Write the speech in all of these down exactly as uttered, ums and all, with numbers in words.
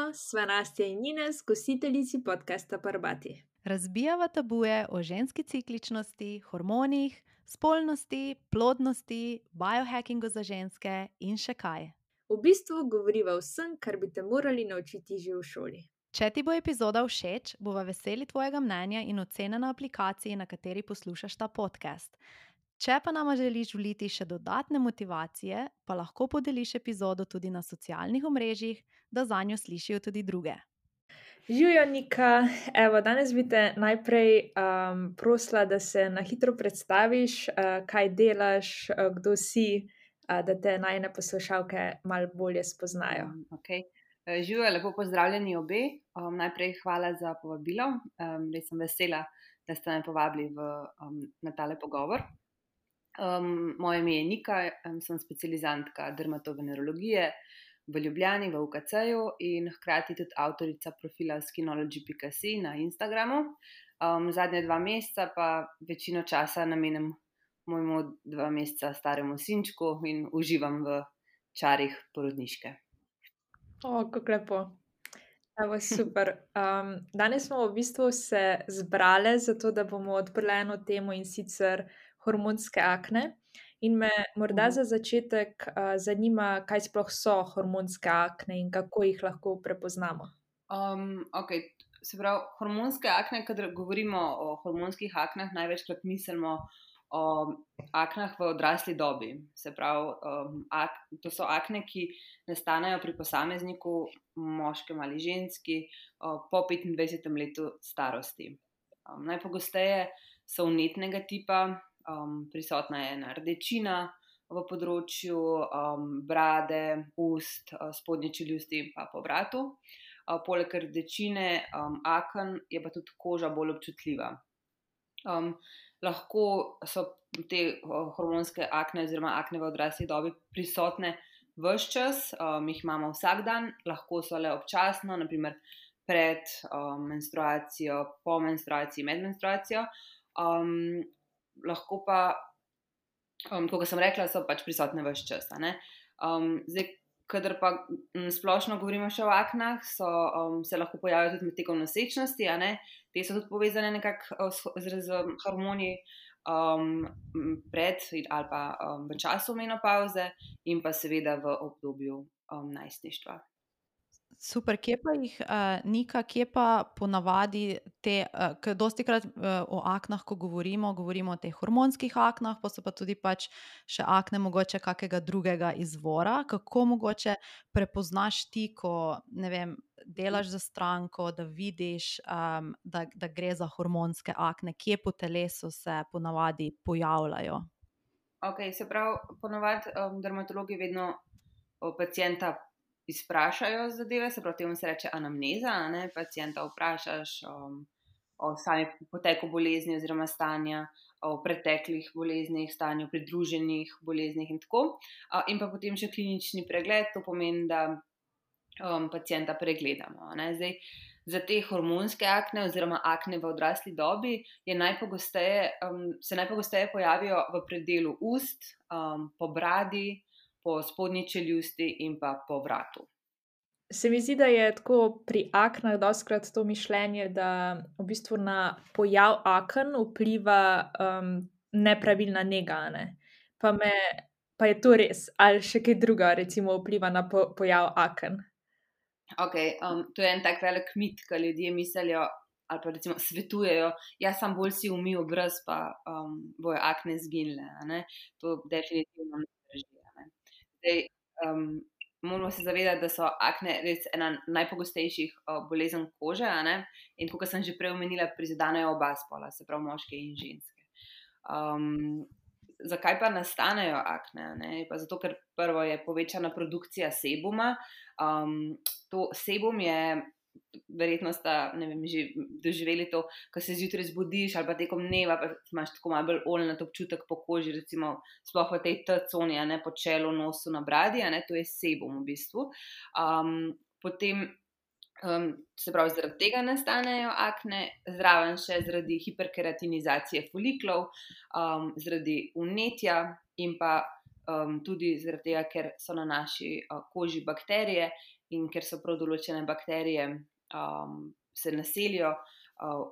Živijo, sva Nastja in Ines, gostiteljici podcasta Parbati. Razbijava tabuje o ženski cikličnosti, hormonih, spolnosti, plodnosti, biohackingu za ženske in še kaj. V bistvu govoriva o vsem, kar bi te morali naučiti že v šoli. Če ti bo epizoda všeč, bova veseli tvojega mnenja in ocene na aplikaciji, na kateri poslušaš ta podcast. Če pa nama želiš vliti še dodatne motivacije, pa lahko podeliš epizodo tudi na socialnih omrežjih, da zanjo slišijo tudi druge. Živijo, Nika, evo, danes bi te najprej um, prosila, da se na hitro predstaviš, uh, kaj delaš, uh, kdo si, uh, da te najne poslušalke malo bolje spoznajo. Um, okay. Živijo, lepo pozdravljeni obe. Um, najprej hvala za povabilo. Um, res sem vesela, da ste me povabili v, um, na tale pogovor. Um, moje ime je Nika, um, sem specializantka dermatovenerologije v Ljubljani, v U K C-ju in hkrati tudi avtorica profila skinology pika si na Instagramu. Um, zadnje dva meseca pa večino časa namenim mojemu dva meseca staremu sinčku in uživam v čarih porodniške. O, kako lepo. Evo, super. Um, danes smo v bistvu se zbrale zato, da bomo odprli eno temo, in sicer hormonske akne. In me morda Mhm. za začetek uh, zanima, kaj sploh so hormonske akne in kako jih lahko prepoznamo. Um, okay. Se pravi, hormonske akne, kadar govorimo o hormonskih aknah, največkrat mislimo o aknah v odrasli dobi. Se pravi, um, ak, to so akne, ki nastanejo pri posamezniku, moškem ali ženski, uh, po petindvajsetem letu starosti. Um, najpogosteje so vnetnega tipa, um, prisotna je ena rdečina v področju um, brade, ust, uh, spodnje čeljusti in pa po vratu. Uh, poleg rdečine, um, aken je pa tudi koža bolj občutljiva. Um, lahko so te uh, hormonske akne oziroma akne v odrasli dobi prisotne ves čas, um, jih imamo vsak dan, lahko so le občasno, naprimer pred um, menstruacijo, po menstruaciji, med menstruacijo. Um, lahko pa, um, kot sem rekla, so pač prisotne ves čas. Um, zdaj, kadar pa m, splošno govorimo še o aknah, so, um, se lahko pojavijo tudi med tekom nosečnosti, a ne? Te so tudi povezane nekako uh, z, z, z hormoni um, pred ali pa um, v času menopavze in pa seveda v obdobju um, najstništva. Super, kje pa jih, uh, Nika, kje pa ponavadi te, uh, ker dostikrat uh, o aknah, ko govorimo, govorimo o teh hormonskih aknah, pa so pa tudi pač še akne mogoče kakega drugega izvora. Kako mogoče prepoznaš ti, ko, ne vem, delaš za stranko, da vidiš, um, da, da gre za hormonske akne, kje po telesu se ponavadi pojavljajo? Ok, se pravi, ponovadi um, dermatologi vedno o pacienta izprašajo zadeve, se pravi, temu se reče anamneza, a ne, pacienta vprašaš um, o sami poteku bolezni oziroma stanja, o preteklih boleznih, stanju pridruženih boleznih in tako. Uh, in pa potem še klinični pregled, to pomeni, da um, pacienta pregledamo, a ne. Zdaj, za te hormonske akne oziroma akne v odrasli dobi je najpogosteje, um, se najpogosteje pojavijo v predelu ust, um, po bradi, po spodnji čeljusti in pa po vratu. Se mi zdi, da je tako pri aknah dostikrat to mišljenje, da v bistvu na pojav aken vpliva um, nepravilna nega, a ne? Pa, me, pa je to res, ali še kaj druga, recimo, vpliva na po, pojav aken? Ok, um, to je en tak velik mit, ki ljudje mislijo ali pa recimo svetujejo, ja, sam bolj si umij obraz, pa um, bojo akne zginile, a ne? To definitivno ne drži, a ne? Zdaj, um, moramo se zavedati, da so akne res ena najpogostejših uh, bolezen kože, a ne? In kot sem že prej omenila, prizadenejo oba spola, se pravi moške in ženske. Um, zakaj pa nastanejo akne? Ne? Pa zato, ker prvo je povečana produkcija sebuma. Um, to sebum je, verjetno sta, ne vem, že doživeli to, ko se zjutraj zbudiš ali pa tekom dneva, pa imaš tako malo bolj oljnat občutek po koži, recimo sploh v tej T-coni, a ne, po čelu, nosu, na bradi, a ne, to je sebum v bistvu. Um, potem, um, se pravi, zaradi tega nastanejo akne, zraven še zaradi hiperkeratinizacije foliklov, um, zaradi vnetja in pa um, tudi zaradi tega, ker so na naši uh, koži bakterije in ker so prav določene bakterije um, se naselijo uh,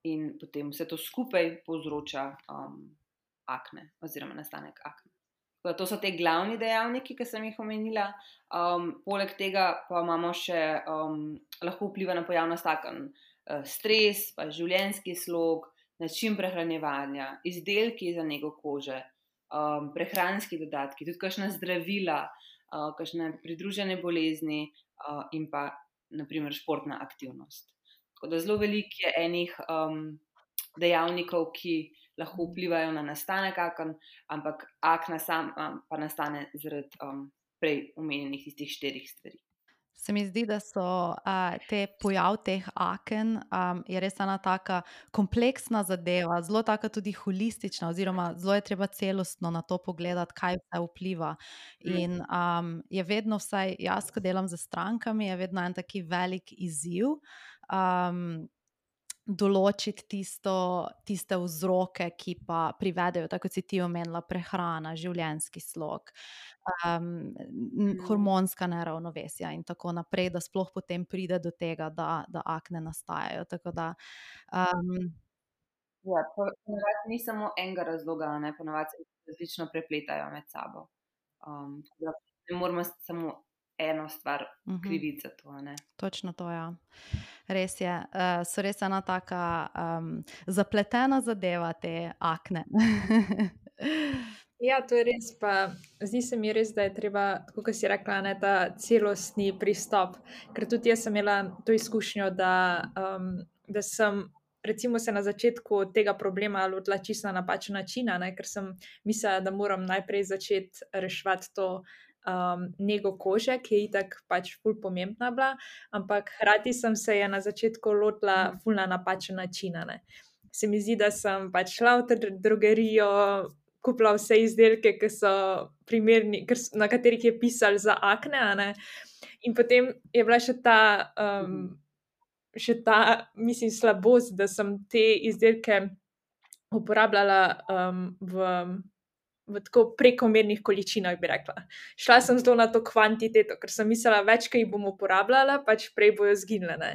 in potem vse to skupaj povzroča um, akne oziroma nastanek akne. To so te glavni dejavniki, ki sem jih omenila. Um, poleg tega pa imamo še, um, lahko vpliva na pojavnost aken, uh, stres, pa življenjski slog, način prehranjevanja, izdelki za nego kože, um, prehranski dodatki, tudi kakšna zdravila, uh, kakšne pridružene bolezni uh, in pa naprimer športna aktivnost. Tako da zelo veliko je enih um, dejavnikov, ki lahko vplivajo na nastanek aken, ampak akna sam um, pa nastane zaradi um, prej omenjenih tistih štirih stvari. Se mi zdi, da so uh, te pojav teh aken um, je res ena taka kompleksna zadeva, zelo taka tudi holistična, oziroma zelo je treba celostno na to pogledati, kaj vse vpliva. In um, je vedno, vsaj jaz, ko delam z strankami, je vedno en taki velik izziv. Um, določiti tisto, tiste vzroke, ki pa privedejo, tako kot si ti omenila, prehrana, življenjski slog, um, Mm. hormonska neravnovesja in tako naprej, da sploh potem pride do tega, da, da akne nastajajo. Tako da, um, Ja, po- ponavadi ni samo enega razloga, ne, ponavadi se različno prepletajo med sabo. Um, tako da ne moramo samo eno stvar mhm. kriviti za to, ne. Točno to, ja. Res je, uh, so res ena taka um, zapletena zadeva, te akne. Ja, to je res. Pa zdi se mi res, da je treba, tako kot si rekla, ne, ta celostni pristop. Ker tudi jaz sem imela to izkušnjo, da, um, da sem recimo se na začetku tega problema lotila čisto na napačen način, a ne, ker sem mislila, da moram najprej začeti reševati to um, nego kože, ki je itak pač ful pomembna bila, ampak hkrati sem se je na začetku lotila ful na napačen način, a ne. Se mi zdi, da sem pač šla v tr- drogerijo, kupila vse izdelke, ki so primerni, ker s- na katerih je pisalo za akne, a ne. In potem je bila še ta, um, še ta, mislim, slabost, da sem te izdelke uporabljala um, v, v tako prekomernih količinah, bi rekla. Šla sem zelo na to kvantiteto, ker sem mislila, več, ki jih bom uporabljala, pač prej bojo zginile. Ne.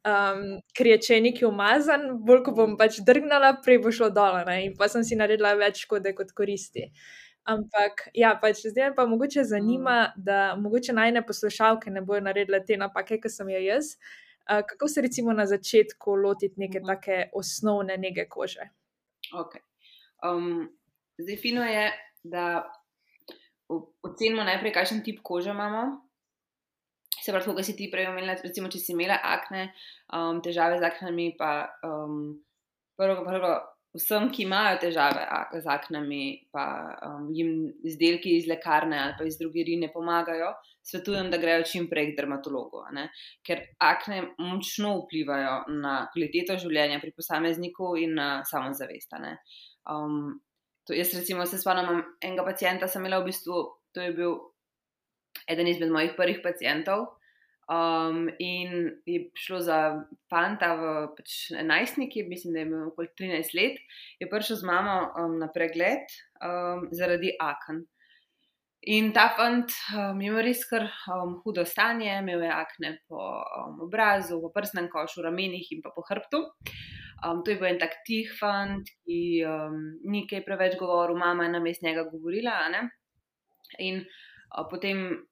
Um, ker je, če je nekaj umazan, bolj ko bom pač drgnala, prej bo šlo dol, ne, in pa sem si naredila več škode kot koristi. Ampak, ja, pač zdaj me pa mogoče zanima, da mogoče najine poslušalke ne bojo naredile te napake, ki sem jo jaz. Uh, kako se recimo na začetku lotiti neke Mhm. take osnovne nege kože? Ok. Um, zdaj, fino je, da o- ocenimo najprej, kakšen tip kože imamo. Se pravi, kot si ti prej omenila, recimo, če si imela akne, um, težave z aknami, pa um, prvo, prvo, vsem, ki imajo težave ak- z aknami, pa um, jim izdelki iz lekarne ali pa iz drogerij ne pomagajo, svetujem, da grejo čim prej k dermatologu, a ne? Ker akne močno vplivajo na kvaliteto življenja pri posamezniku in na samozavest. a ne. Um, to jaz recimo se spomnim, imam enega pacienta sem imela v bistvu, to je bil eden izmed mojih prvih pacientov. Um, in je šlo za fanta v pač najstniki, mislim, da je imel okoli trinajst let, je prišel z mamo um, na pregled um, zaradi aken. In ta fant um, je imel res kar um, hudo stanje, imel je akne po um, obrazu, po prsnem košu, ramenih in pa po hrbtu. Um, to je bil en tak tih fant, ki um, ni kaj preveč govoril, mama je namesto njega govorila, a ne. In uh, potem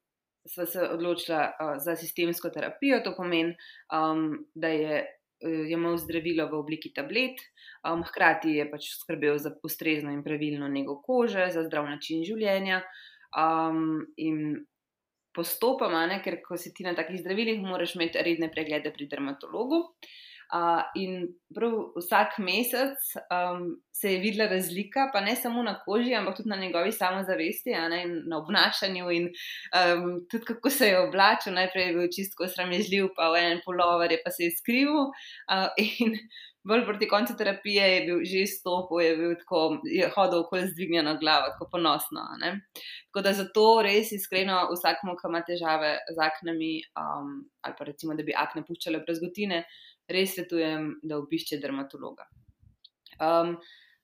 sva se odločila uh, za sistemsko terapijo, to pomeni, um, da je uh, jemal zdravilo v obliki tablet, um, hkrati je pač skrbel za ustrezno in pravilno nego kože, za zdrav način življenja. Um, in postopoma, ne, ker ko si ti na takih zdravilih, moraš imeti redne preglede pri dermatologu. Uh, in prav vsak mesec um, se je videla razlika, pa ne samo na koži, ampak tudi na njegovi samozavesti, a ne, in na obnašanju in um, tudi kako se je oblačil. Najprej je bil čisto sramežljiv, pa v en pulover je pa se je skrivil. Uh, in bolj proti koncu terapije je bil že stopil, je bil tako, je hodil okoli z dvignjeno glavo, tako ponosno. a ne. Tako da zato res iskreno vsakmu, ki ima težave z aknami, um, ali pa recimo, da bi akne puščale brazgotine, res svetujem, da obišče dermatologa. Um,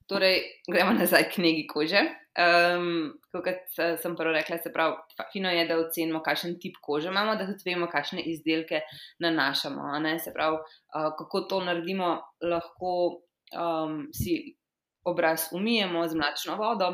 Torej, gremo nazaj k negi kože. Um, kot sem prvo rekla, se pravi, fino je, da ocenimo, kakšen tip kože imamo, da tudi vemo, kakšne izdelke nanašamo. Ne? Se pravi, uh, kako to naredimo, lahko um, si obraz umijemo z mlačno vodo,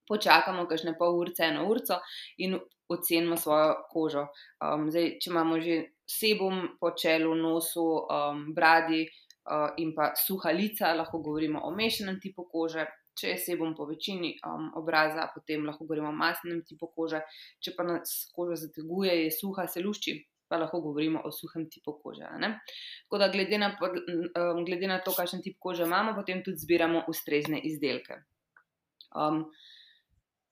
počakamo kakšne pol urce, eno urco in ocenimo svojo kožo. Um, zdaj, če imamo že sebum po čelu, nosu, um, bradi, Uh, in pa suha lica, lahko govorimo o mešanem tipu kože. Če je sebum po večini um, obraza, potem lahko govorimo o masnem tipu kože. Če pa nas koža zateguje, je suha, se lušči, pa lahko govorimo o suhem tipu kože. Ne? Tako da glede na, um, glede na to, kakšen tip kože imamo, potem tudi zbiramo ustrezne izdelke. Um,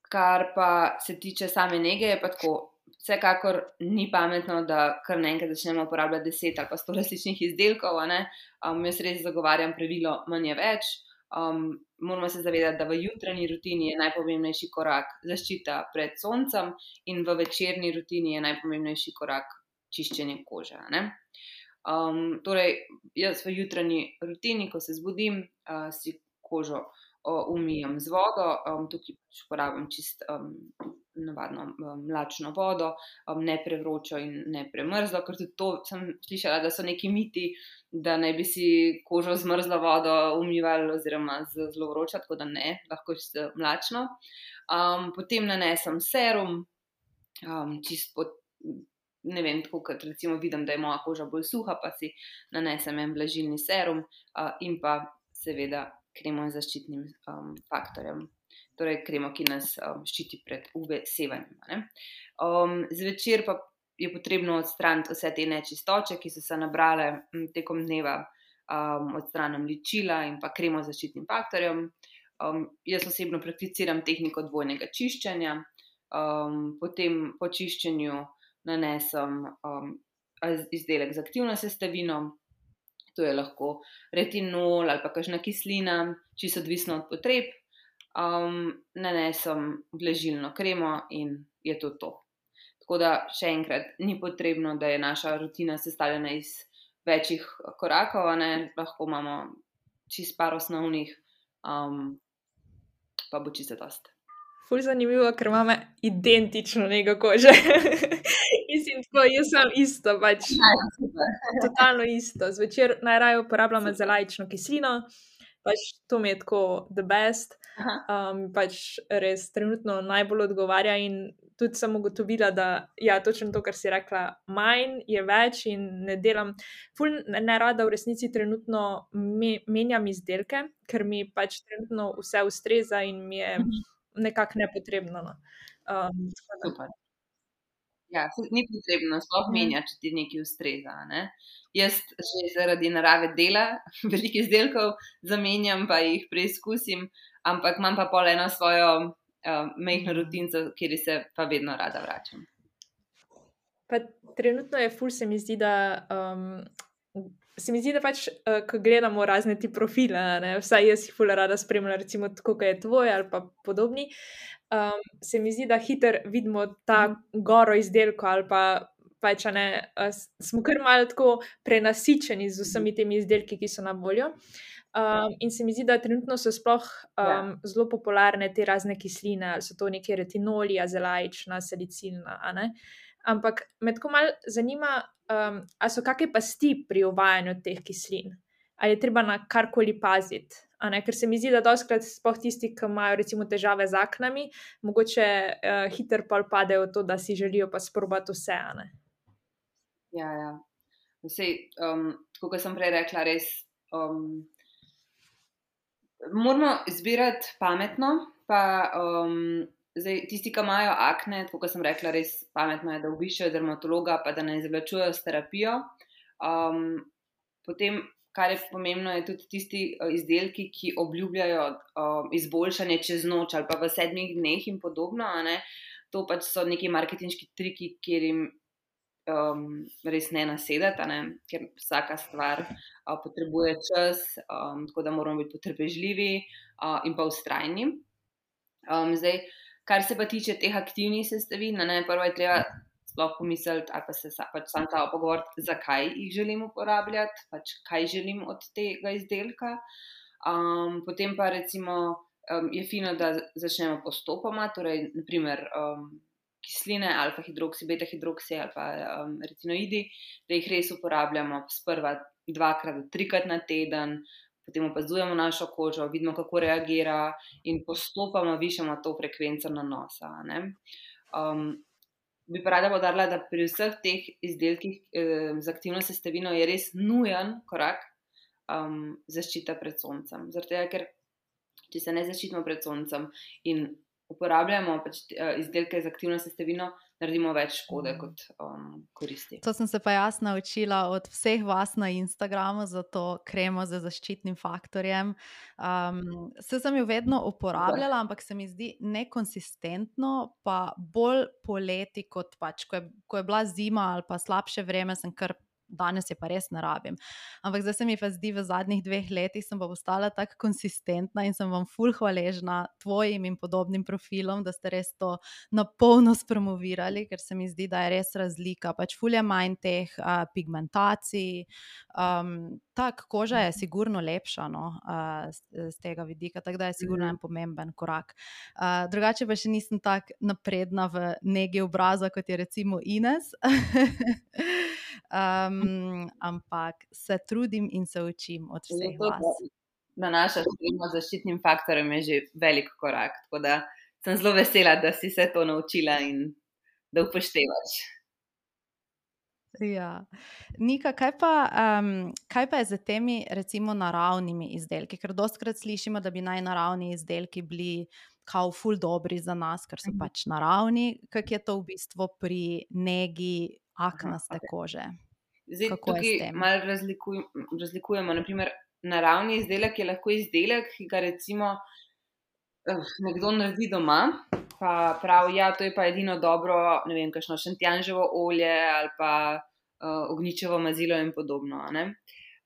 kar pa se tiče same nege, je pa tako. Vsekakor ni pametno, da kar naenkrat začnemo uporabljati deset ali pa sto različnih izdelkov. Um, jaz res zagovarjam pravilo manj je več. Um, moramo se zavedati, da v jutranji rutini je najpomembnejši korak zaščita pred soncem in v večerni rutini je najpomembnejši korak čiščenje kože. Ne? Um, torej, jaz v jutranji rutini, ko se zbudim, uh, si kožo uh, umijem z vodo, um, tukaj pač uporabljam čist um, navadno um, mlačno vodo, um, ne prevročo in ne premrzlo, ker tudi to sem slišala, da so neki miti, da naj bi si kožo z mrzlo vodo umivali oziroma z zelo vročo, tako da ne, lahko je mlačno. Um, potem nanesem serum, um, čist pod, ne vem, tako kot recimo vidim, da je moja koža bolj suha, pa si nanesem en vlažilni serum uh, in pa seveda kremo z zaščitnim um, faktorjem. Torej kremo, ki nas um, ščiti pred U V sevanjem. Um, zvečer pa je potrebno odstraniti vse te nečistoče, ki so se nabrale m, tekom dneva, um, odstranim ličila in pa kremo z zaščitnim faktorjem. Um, jaz osebno prakticiram tehniko dvojnega čiščenja, um, potem po čiščenju nanesem um, izdelek z aktivno sestavino, to je lahko retinol ali pa kakšna kislina, čisto odvisno od potreb. Um, nanesem vlažilno kremo in je to to. Tako da še enkrat, ni potrebno, da je naša rutina sestavljena iz večjih korakov, ne? Lahko imamo čist par osnovnih, um, pa bo čisto dost. Ful zanimivo, ker imamo identično nego kože. Mislim, tako, jaz sem isto, pač totalno isto. Zvečer najraje uporabljam zelajčno kislino, pač to mi je tako the best, um, pač res trenutno najbolj odgovarja in tudi sem ugotovila, da ja, točno to, kar si rekla, manj je več in ne delam, ful ne rada v resnici trenutno me, menjam izdelke, ker mi pač trenutno vse ustreza in mi je nekako nepotrebno. No. Um, Super. Ja, ni potrebno sploh menjati, če ti nekaj ustreza. Ne? Jaz že zaradi narave dela veliko izdelkov zamenjam, pa jih preizkusim, ampak imam pa pol eno svojo uh, majhno rutinco, kjer se pa vedno rada vračam. Pa trenutno je ful, se mi zdi, da um, se mi zdi, da pač, uh, ko gledamo razne ti profile, ne, vsaj jaz jih ful rada spremljam, recimo tako, kot je tvoj ali pa podobni, um, se mi zdi, da hiter vidimo ta goro izdelko ali pa pač, ne, uh, smo kar malo tako prenasičeni z vsemi temi izdelki, ki so na voljo. Um, in se mi zdi, da trenutno so sploh um, Ja. zelo popularne te razne kisline, ali so to neke retinoli, azelajična, salicilna, a ne. Ampak me tako malo zanima, um, a so kakšne pasti pri uvajanju teh kislin? Ali je treba na karkoli paziti? A ne? Ker se mi zdi, da dostikrat sploh tisti, ki imajo recimo težave z aknami, mogoče uh, hiter pol padejo v to, da si želijo pa sprobati vse, a ne. Ja, ja. Vsej, um, tako kot sem prej rekla, res um, moramo izbirati pametno, pa um, zdaj, tisti, ki imajo akne, tako kot sem rekla, res pametno je, da obiščejo dermatologa, pa da ne zavlačujejo s terapijo. Um, potem, kar je pomembno, je tudi tisti uh, izdelki, ki obljubljajo uh, izboljšanje čez noč ali pa v sedmih dneh in podobno, a ne. To pač so neki marketinški triki, kjer jim Um, res ne nasedati, a ne? Ker vsaka stvar uh, potrebuje čas, um, tako da moramo biti potrpežljivi uh, in pa vztrajni. Um, zdaj, kar se pa tiče teh aktivnih sestavin, ne, prvo je treba sploh pomisliti ali pa se sa, pač sam ta pogovoriti, zakaj jih želim uporabljati, pač kaj želim od tega izdelka. Um, potem pa recimo um, je fino, da začnemo postopoma, torej naprimer um, kisline, alfa-hidroksi, beta-hidroksi ali pa um, retinoidi, da jih res uporabljamo sprva dvakrat do trikrat na teden, potem opazujemo našo kožo, vidimo, kako reagira in postopoma višamo to frekvenco nanosa. Ne? Um, bi pa rada poudarila, da pri vseh teh izdelkih eh, z aktivno sestavino je res nujen korak um, zaščita pred soncem. Zaradi tega, ker če se ne zaščitimo pred soncem in uporabljamo pač izdelke z aktivno sestavino, naredimo več škode kot um, koristi. To sem se pa jaz naučila od vseh vas na Instagramu za to kremo z zaščitnim faktorjem. Um, se sem jo vedno uporabljala, ampak se mi zdi nekonsistentno, pa bolj poleti kot pač, ko je, ko je bila zima ali pa slabše vreme, sem kar danes je pa res ne rabim. Ampak zdaj se mi pa zdi, v zadnjih dveh letih sem pa postala tako konsistentna in sem vam ful hvaležna tvojim in podobnim profilom, da ste res to na polno spromovirali, ker se mi zdi, da je res razlika. Pač ful je manj teh uh, pigmentacij, um, tak, koža je sigurno lepša, no, uh, z, z tega vidika, tako da je sigurno en pomemben korak. Uh, drugače pa še nisem tako napredna v negi obraza, kot je recimo Ines. um, ampak se trudim in se učim od vseh Zato, vas. da naša spremlja zaščitnim faktorjem je že velik korak, tako da sem zelo vesela, da si se to naučila in da upoštevaš. Ja. Nika, kaj pa, um, kaj pa je z temi recimo naravnimi izdelki? Ker dostikrat slišimo, da bi naj naravni izdelki bili kao ful dobri za nas, ker so Mhm. pač naravni. Kako je to v bistvu pri negi aknaste Aha, okej. kože? Zdaj, Kako je s tukaj tem? malo razlikuj, razlikujemo. Naprimer, naravni izdelek je lahko izdelek, ki ga recimo uh, nekdo naredi doma, pa pravi, ja, to je pa edino dobro, ne vem, kakšno šentjanževo olje ali pa uh, ognjičevo mazilo in podobno. a ne.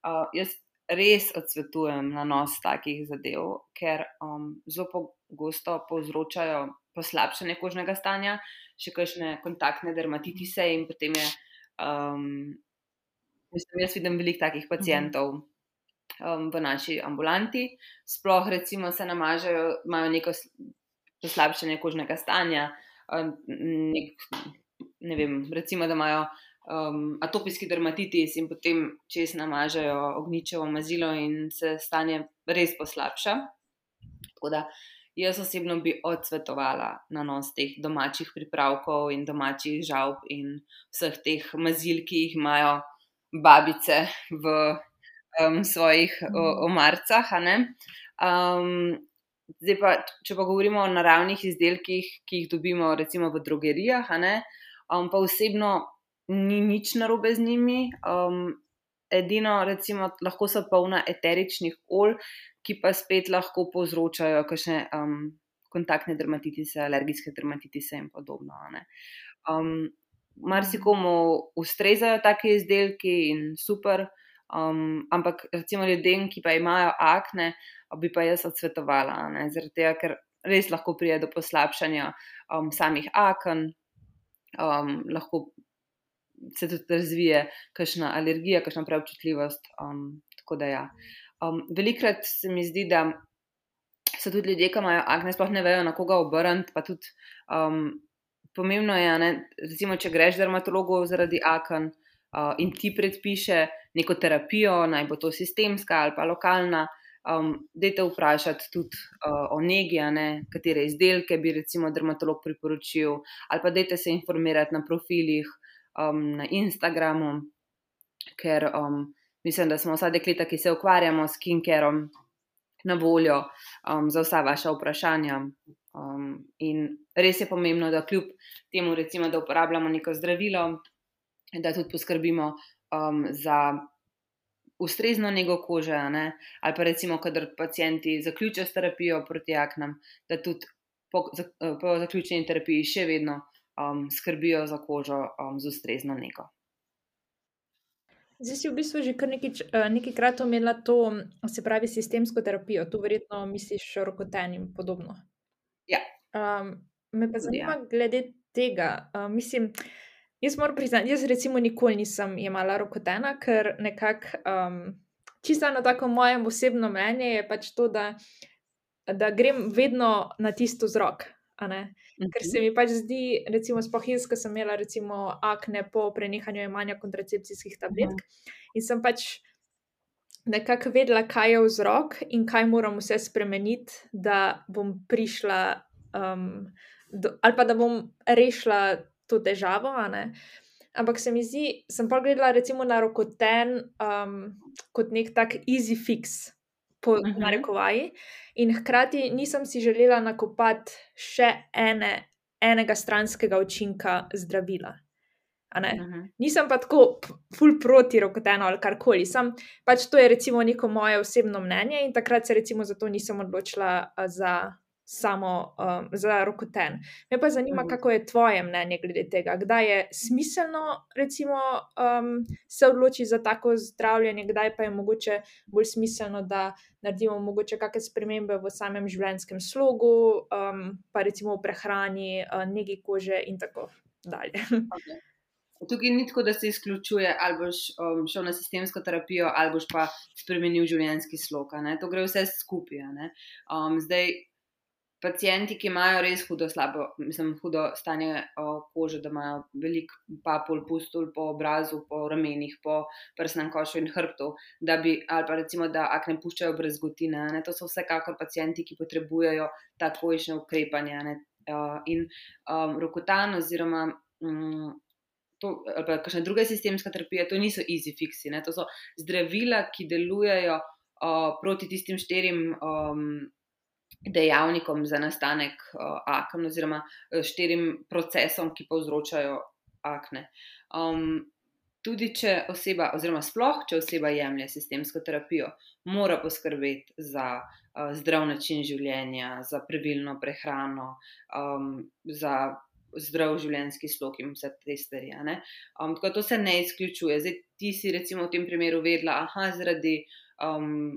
Uh, jaz res odsvetujem nanos takih zadev, ker um, zelo pogosto povzročajo poslabšanje kožnega stanja, še kakšne kontaktne dermatitise in potem je, um, mislim, jaz vidim veliko takih pacientov um, v naši ambulanti, sploh recimo se namažejo, imajo neko s- poslabšanje kožnega stanja, um, nek, ne vem, recimo, da imajo um, atopijski dermatitis in potem čez namažejo ognjičevo mazilo in se stanje res poslabša. Tako da jaz osebno bi odsvetovala nanos teh domačih pripravkov in domačih žavb in vseh teh mazil, ki jih imajo babice v um, svojih o, omarcah. a ne. Um, zdaj pa, če pa govorimo o naravnih izdelkih, ki jih dobimo recimo v drogerijah, a ne, um, pa osebno ni nič narobe z njimi. Um, edino recimo lahko so polna eteričnih olj, ki pa spet lahko povzročajo kakšne um, kontaktne dermatitise, alergijske dermatitise in podobno. a ne. Um, marsikomu ustrezajo take izdelki in super, um, ampak recimo ljudem, ki pa imajo akne, bi pa jaz odsvetovala, a ne, zaradi tega, ker res lahko pride do poslabšanja um, samih aken, um, lahko se tudi razvije kakšna alergija, kakšna preobčutljivost. Um, tako da ja. Um, velikrat se mi zdi, da so tudi ljudje, ki imajo akne, sploh ne vejo, na koga obrniti, pa tudi um, pomembno je, a ne, recimo, če greš dermatologu zaradi aken uh, in ti predpiše neko terapijo, naj bo to sistemska ali pa lokalna, um, dajte vprašati tudi uh, o negi, a ne, katere izdelke bi recimo dermatolog priporočil, ali pa dajte se informirati na profilih um, na Instagramu, ker um, mislim, da smo vsa dekleta, ki se ukvarjamo s skincarom, na voljo um, za vsa vaša vprašanja. Um, in res je pomembno, da kljub temu, recimo, da uporabljamo neko zdravilo, da tudi poskrbimo um, za ustrezno nego kože, a ne, ali pa recimo, kadar pacienti zaključijo s terapijo proti aknam, da tudi po, za, po zaključeni terapiji še vedno um, skrbijo za kožo um, z ustrezno nego. Zdaj si v bistvu že kar nekaj, nekajkrat omenila to, se pravi, sistemsko terapijo. Tu verjetno misliš rokoten in podobno. Ja. Um, me pa Tudi, zanima ja. glede tega. Uh, mislim, jaz moram priznati, jaz recimo nikoli nisem jemala rokotena, ker nekako um, čisto eno tako moje osebno mnenje je pač to, da, da grem vedno na tisto vzrok, a ne. Ker se mi pač zdi, recimo sploh jaz, ko sem imela recimo akne po prenehanju jemanja kontracepcijskih tabletk in sem pač nekako vedela, kaj je vzrok in kaj moram vse spremeniti, da bom prišla, um, do, ali pa da bom rešila to težavo, a ne. Ampak se mi zdi, sem pa gledala recimo na Rokoten um, kot nek tak easy fix, po Mhm. narekovaji, in hkrati nisem si želela nakopati še ene, enega stranskega učinka zdravila. A ne. Mhm. Nisem pa tako p- ful proti Rokotenu ali karkoli, sam pač to je recimo neko moje osebno mnenje in takrat se recimo zato nisem odločila a, za samo um, za Rokoten. Me pa zanima, Mhm. kako je tvoje mnenje glede tega, kdaj je smiselno recimo um, se odloči za tako zdravljenje, kdaj pa je mogoče bolj smiselno, da naredimo mogoče kakšne spremembe v samem življenjskem slogu, um, pa recimo v prehrani, uh, negi kože in tako dalje. Okay. Tukaj ni tako, da se izključuje, ali boš um, šel na sistemsko terapijo, ali boš pa spremenil življenjski slog. a ne. To gre vse skupaj. a ne. Um, zdaj, pacienti, ki imajo res hudo slabo, mislim, hudo stanje o, kože, da imajo veliko papul, pustul po obrazu, po ramenih, po prsnem košu in hrbtu, da bi, ali pa recimo, da akne puščajo brazgotine, a ne. To so vsekakor pacienti, ki potrebujejo takojšnje ukrepanje. a ne. Uh, in um, Rokotan oziroma um, to, ali pa kakšna druga sistemska terapija, to niso easy fixi, ne? To so zdravila, ki delujejo uh, proti tistim štirim um, dejavnikom za nastanek uh, aken oziroma uh, štirim procesom, ki povzročajo akne. Um, tudi če oseba, oziroma sploh, če oseba jemlje sistemsko terapijo, mora poskrbeti za uh, zdrav način življenja, za pravilno prehrano, um, za zdrav življenjski slog in vse te stvari. a ne. Um, tako da to se ne izključuje. Zdaj, ti si recimo v tem primeru vedela, aha, zaradi um,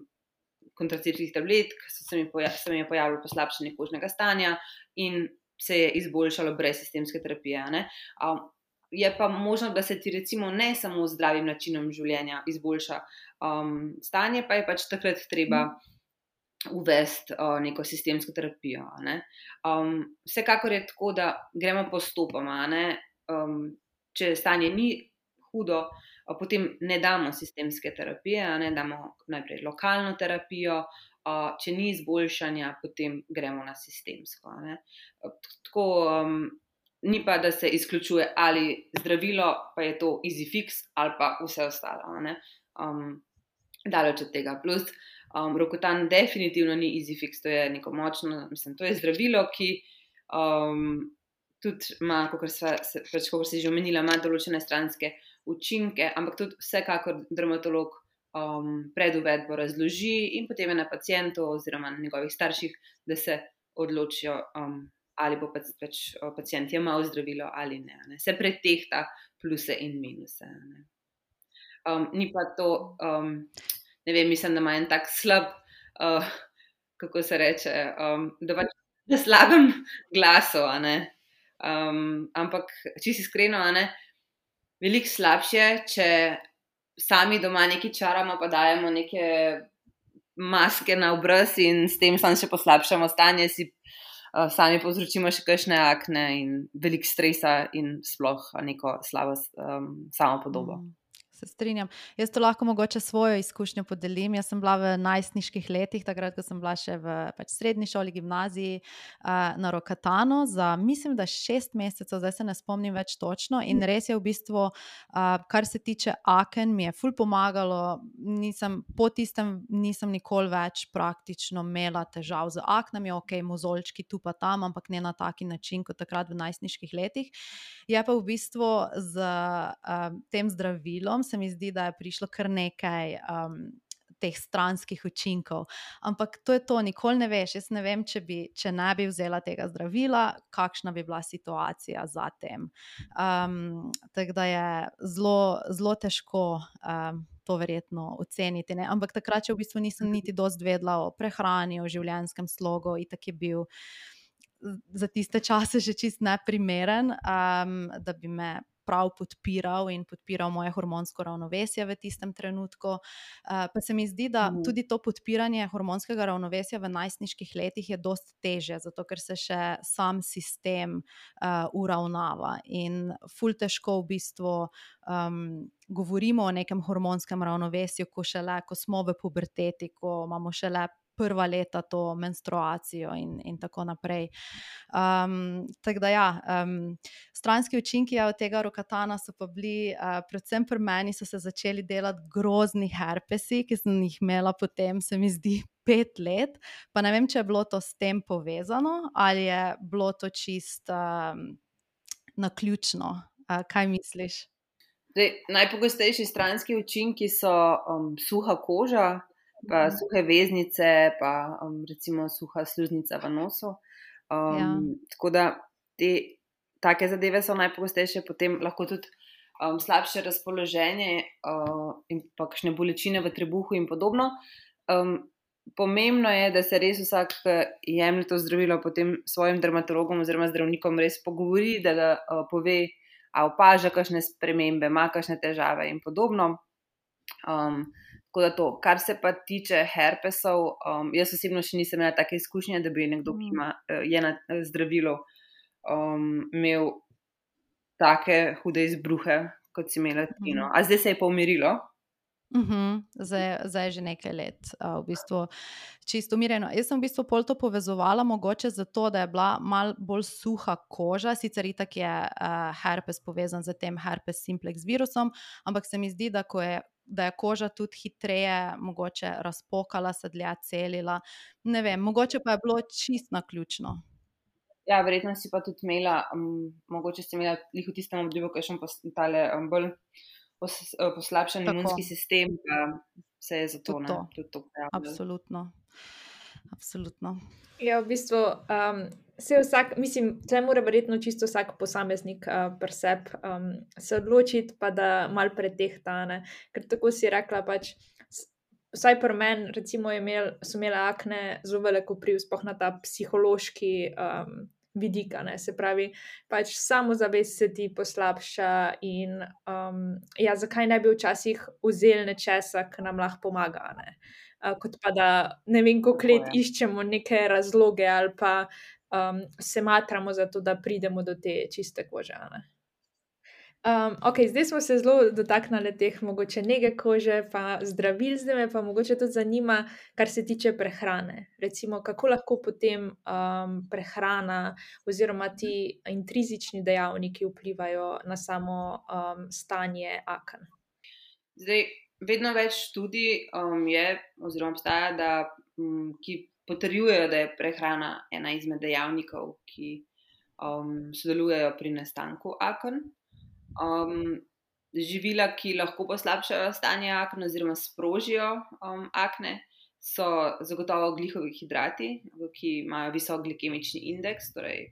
kontracepcijskih tabletk so se mi, poja se mi je pojavilo poslabšanje kožnega stanja in se je izboljšalo brez sistemske terapije. a ne. Um, je pa možno, da se ti recimo ne samo z zdravim načinom življenja izboljša um, stanje, pa je pač takrat treba uvesti uh, neko sistemsko terapijo. a ne. Um, vsekakor je tako, da gremo postopoma. a ne. Um, če stanje ni hudo, uh, potem ne damo sistemske terapije, a ne damo najprej lokalno terapijo, uh, če ni izboljšanja, potem gremo na sistemsko. a ne. Uh, tako, um, ni pa, da se izključuje ali zdravilo, pa je to easy fix, ali pa vse ostalo. a ne. Um, daleč od tega. Plus, um, Rokotan definitivno ni easy fix, to je neko močno, mislim, to je zdravilo, ki um, tudi ima, kakor se, pač, kakor si že omenila, ima določene stranske učinke, ampak tudi vsekakor dermatolog um, pred uvedbo razloži in potem je na pacientu oziroma na njegovih starših, da se odločijo, um, ali bo pač, pač pacient jemal zdravilo ali ne. ne. Se pretehta pluse in minuse. Ne. Um, ni pa to, um, ne vem, mislim, da ima en tak slab, uh, kako se reče, um, da pač na slabem glasu, a ne. Um, ampak, čisto iskreno, a ne, veliko slabše, če sami doma nekaj čaramo, pa dajemo neke maske na obraz in s tem samo še poslabšamo stanje, si uh, sami povzročimo še kakšne akne in veliko stresa in sploh neko slabo um, samopodobo. Mm. Se strinjam. Jaz to lahko mogoče svojo izkušnjo podelim. Jaz sem bila v najstniških letih, takrat, ko sem bila še v pač srednji šoli, gimnaziji, uh, na Rokatanu za, mislim, da šest mesecev, zdaj se ne spomnim več točno. In res je v bistvu, uh, kar se tiče aken, mi je ful pomagalo. Nisem, po tistem nisem nikoli več praktično imela težav z aknami, ok, mozolčki tu pa tam, ampak ne na taki način kot takrat v najstniških letih. Je pa v bistvu z um, tem zdravilom se mi zdi, da je prišlo kar nekaj um, teh stranskih učinkov. Ampak to je to, nikoli ne veš. Jaz ne vem, če, bi, če ne bi vzela tega zdravila, kakšna bi bila situacija za tem. Um, tako da je zelo, zelo težko um, to verjetno oceniti. Ne? Ampak takrat, če v bistvu nisem niti dosti vedela o prehrani, o življenjskem slogu, itak je bil za tiste čase že čist neprimeren, um, da bi me prav podpiral in podpiral moje hormonsko ravnovesje v tistem trenutku. Uh, pa se mi zdi, da Mhm. tudi to podpiranje hormonskega ravnovesja v najstniških letih je dosti težje, zato ker se še sam sistem uh, uravnava in ful težko v bistvu um, govorimo o nekem hormonskem ravnovesju, ko šele, ko smo v puberteti, ko imamo šele prva leta to menstruacijo in, in tako naprej. Um, tako da ja, um, stranski učinki od tega rokatana so pa bili, uh, predvsem pri meni so se začeli delati grozni herpesi, ki sem jih imela potem, se mi zdi, pet let, pa ne vem, če je bilo to s tem povezano ali je bilo to čist um, naključno. Uh, kaj misliš? Zdaj, najpogostejši stranski učinki so um, suha koža, pa Mhm. suhe veznice, pa um, recimo suha sluznica v nosu. Um, Ja. Tako da te take zadeve so najpogostejše, potem lahko tudi um, slabše razpoloženje uh, in pa kakšne bolečine v trebuhu in podobno. Um, pomembno je, da se res vsak, ki jemlje to zdravilo, potem s svojim dermatologom oziroma zdravnikom res pogovori, da ga uh, pove, a opaža kakšne spremembe, ima kakšne težave in podobno. Um, tako da to, kar se pa tiče herpesov, um, jaz osebno še nisem imela take izkušnje, da bi nekdo, ki ima, je na zdravilu, um, imel take hude izbruhe, kot si imela ti. No. A zdaj se je pa umirilo? Uh-huh. Zdaj, zdaj je že nekaj let, uh, v bistvu čisto umirjeno. Jaz sem v bistvu pol to povezovala mogoče zato, da je bila mal bolj suha koža, sicer itak je uh, herpes povezan z tem herpes simplex virusom, ampak se mi zdi, da, ko je, da je koža tudi hitreje mogoče razpokala, se dlje celila. Ne vem, mogoče pa je bilo čist naključno. Ja, verjetno si pa tudi imela, um, mogoče si imela lih v tistem obdobju, ki je še tale um, bolj pos, uh, poslabšan Tako. imunski sistem, pa se je zato Tudi ne, to. tudi to pojavilo. Absolutno. Absolutno. Ja, v bistvu um, se vsak, mislim, tle mora verjetno čisto vsak posameznik uh, pri sebi um, se odločiti, pa da mal pretehta, ne. Ker tako si rekla, pač, s- vsaj pri meni, recimo, je imel, so imele akne zelo veliko vpliv, sploh na ta psihološki um, vidik, a ne. Se pravi, pač samozavest se ti poslabša in um, ja, zakaj ne bi včasih vzeli nečesa, ki nam lahko pomaga, a ne. Uh, kot pa da ne vem, koliko Tako let je. iščemo neke razloge ali pa um, se matramo za to, da pridemo do te čiste kože. a ne. Um, ok, zdaj smo se zelo dotaknili teh mogoče nege kože, pa zdravil, zdaj me pa mogoče tudi zanima, kar se tiče prehrane. Recimo, kako lahko potem um, prehrana oziroma ti intrizični dejavniki vplivajo na samo um, stanje aken. Zdaj, vedno več študij um, je, oziroma obstaja, da, um, ki potrjujejo, da je prehrana ena izmed dejavnikov, ki um, sodelujejo pri nastanku aken. Um, živila, ki lahko poslabšajo stanje aken oziroma sprožijo um, akne, so zagotovo glihovi hidrati, ki imajo visok glikemični indeks, torej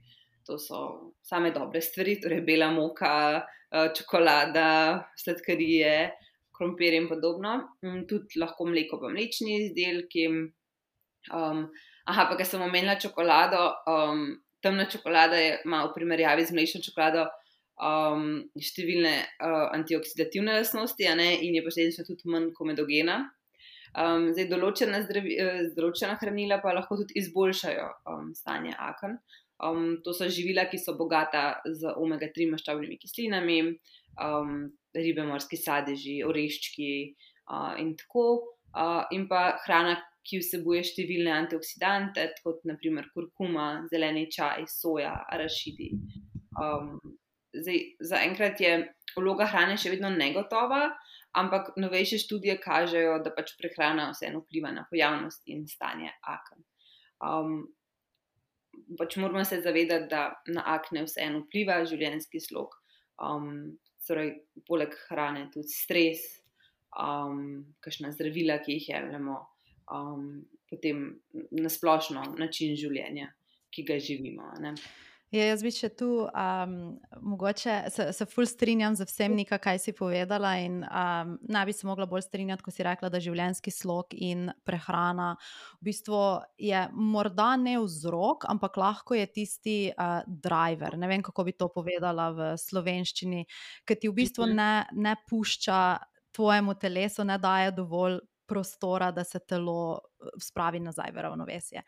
to so same dobre stvari, torej bela moka, uh, čokolada, sladkarije, krompir in podobno. Um, tudi lahko mleko pa mlečni izdelki. Um, aha, pa ker sem omenila čokolado, um, temna čokolada je, ima v primerjavi z mlečno čokolado um, številne uh, antioksidativne lastnosti, a ne, in je posledično tudi manj komedogena. Um, zdaj, določena, zdravi, eh, določena hranila pa lahko tudi izboljšajo um, stanje aken. Um, to so živila, ki so bogata z omega tri maščobnimi kislinami, um, ribe, morski sadeži, oreščki uh, in tako. Uh, in pa hrana, ki vsebuje številne antioksidante, kot naprimer kurkuma, zeleni čaj, soja, arašidi. Um, zdaj, zaenkrat je vloga hrane še vedno negotova, ampak novejše študije kažejo, da pač prehrana vseeno vpliva na pojavnost in stanje aken. Um, pač moramo se zavedati, da na akne vseeno vpliva življenjski slog, um, torej poleg hrane tudi stres, um, kakšna zdravila, ki jih jemljemo, um, potem nasplošno način življenja, ki ga živimo. Ne? Ja, jaz bi še tu, um, mogoče se, se ful strinjam z vsem, Nika, kaj si povedala, in um, ne bi se mogla bolj strinjati, ko si rekla, da življenjski slog in prehrana v bistvu je morda ne vzrok, ampak lahko je tisti uh, driver. Ne vem, kako bi to povedala v slovenščini, ker ti v bistvu ne, ne pušča tvojemu telesu, ne daje dovolj prostora, da se telo spravi nazaj v ravnovesje.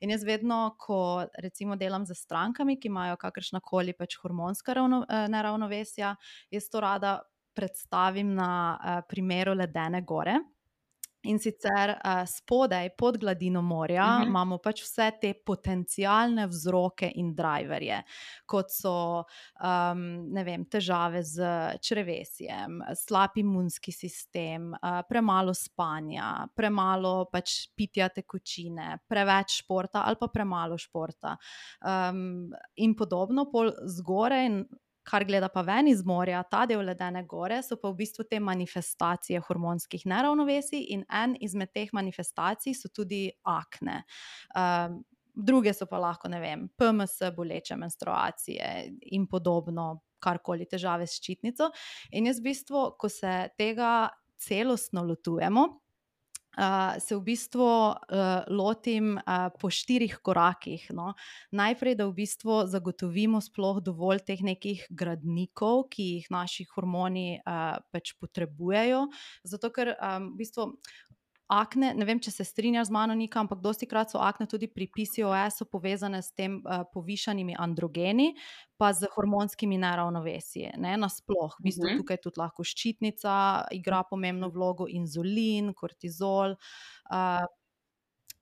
In jaz vedno, ko recimo delam z strankami, ki imajo kakršnakoli pač hormonska ravno, neravnovesja, jaz to rada predstavim na uh, primeru ledene gore. In sicer uh, spodaj, pod gladino morja, uh-huh. imamo pač vse te potencialne vzroke in driverje, kot so um, ne vem, težave z črevesjem, slab imunski sistem, uh, premalo spanja, premalo pač pitja tekočine, preveč športa ali pa premalo športa um, in podobno. Pol zgoraj, kar gleda pa ven iz morja, ta del ledene gore, so pa v bistvu te manifestacije hormonskih neravnovesij, in en izmed teh manifestacij so tudi akne. Um, druge so pa lahko, ne vem, P M S, boleče menstruacije in podobno, karkoli, težave s ščitnico. In jaz v bistvu, ko se tega celostno lotujemo, Uh, se v bistvu uh, lotim uh, po štirih korakih. No. Najprej, da v bistvu zagotovimo sploh dovolj teh nekih gradnikov, ki jih naši hormoni uh, pač potrebujejo, zato ker um, v bistvu akne, ne vem, če se strinjaš z mano, Nika, ampak dosti krat so akne tudi pri P C O S-u povezane s tem uh, povišanimi androgeni, pa z hormonskimi neravnovesji, ne, nasploh. V bistvu tukaj tudi lahko ščitnica igra pomembno vlogo, inzulin, kortizol, uh,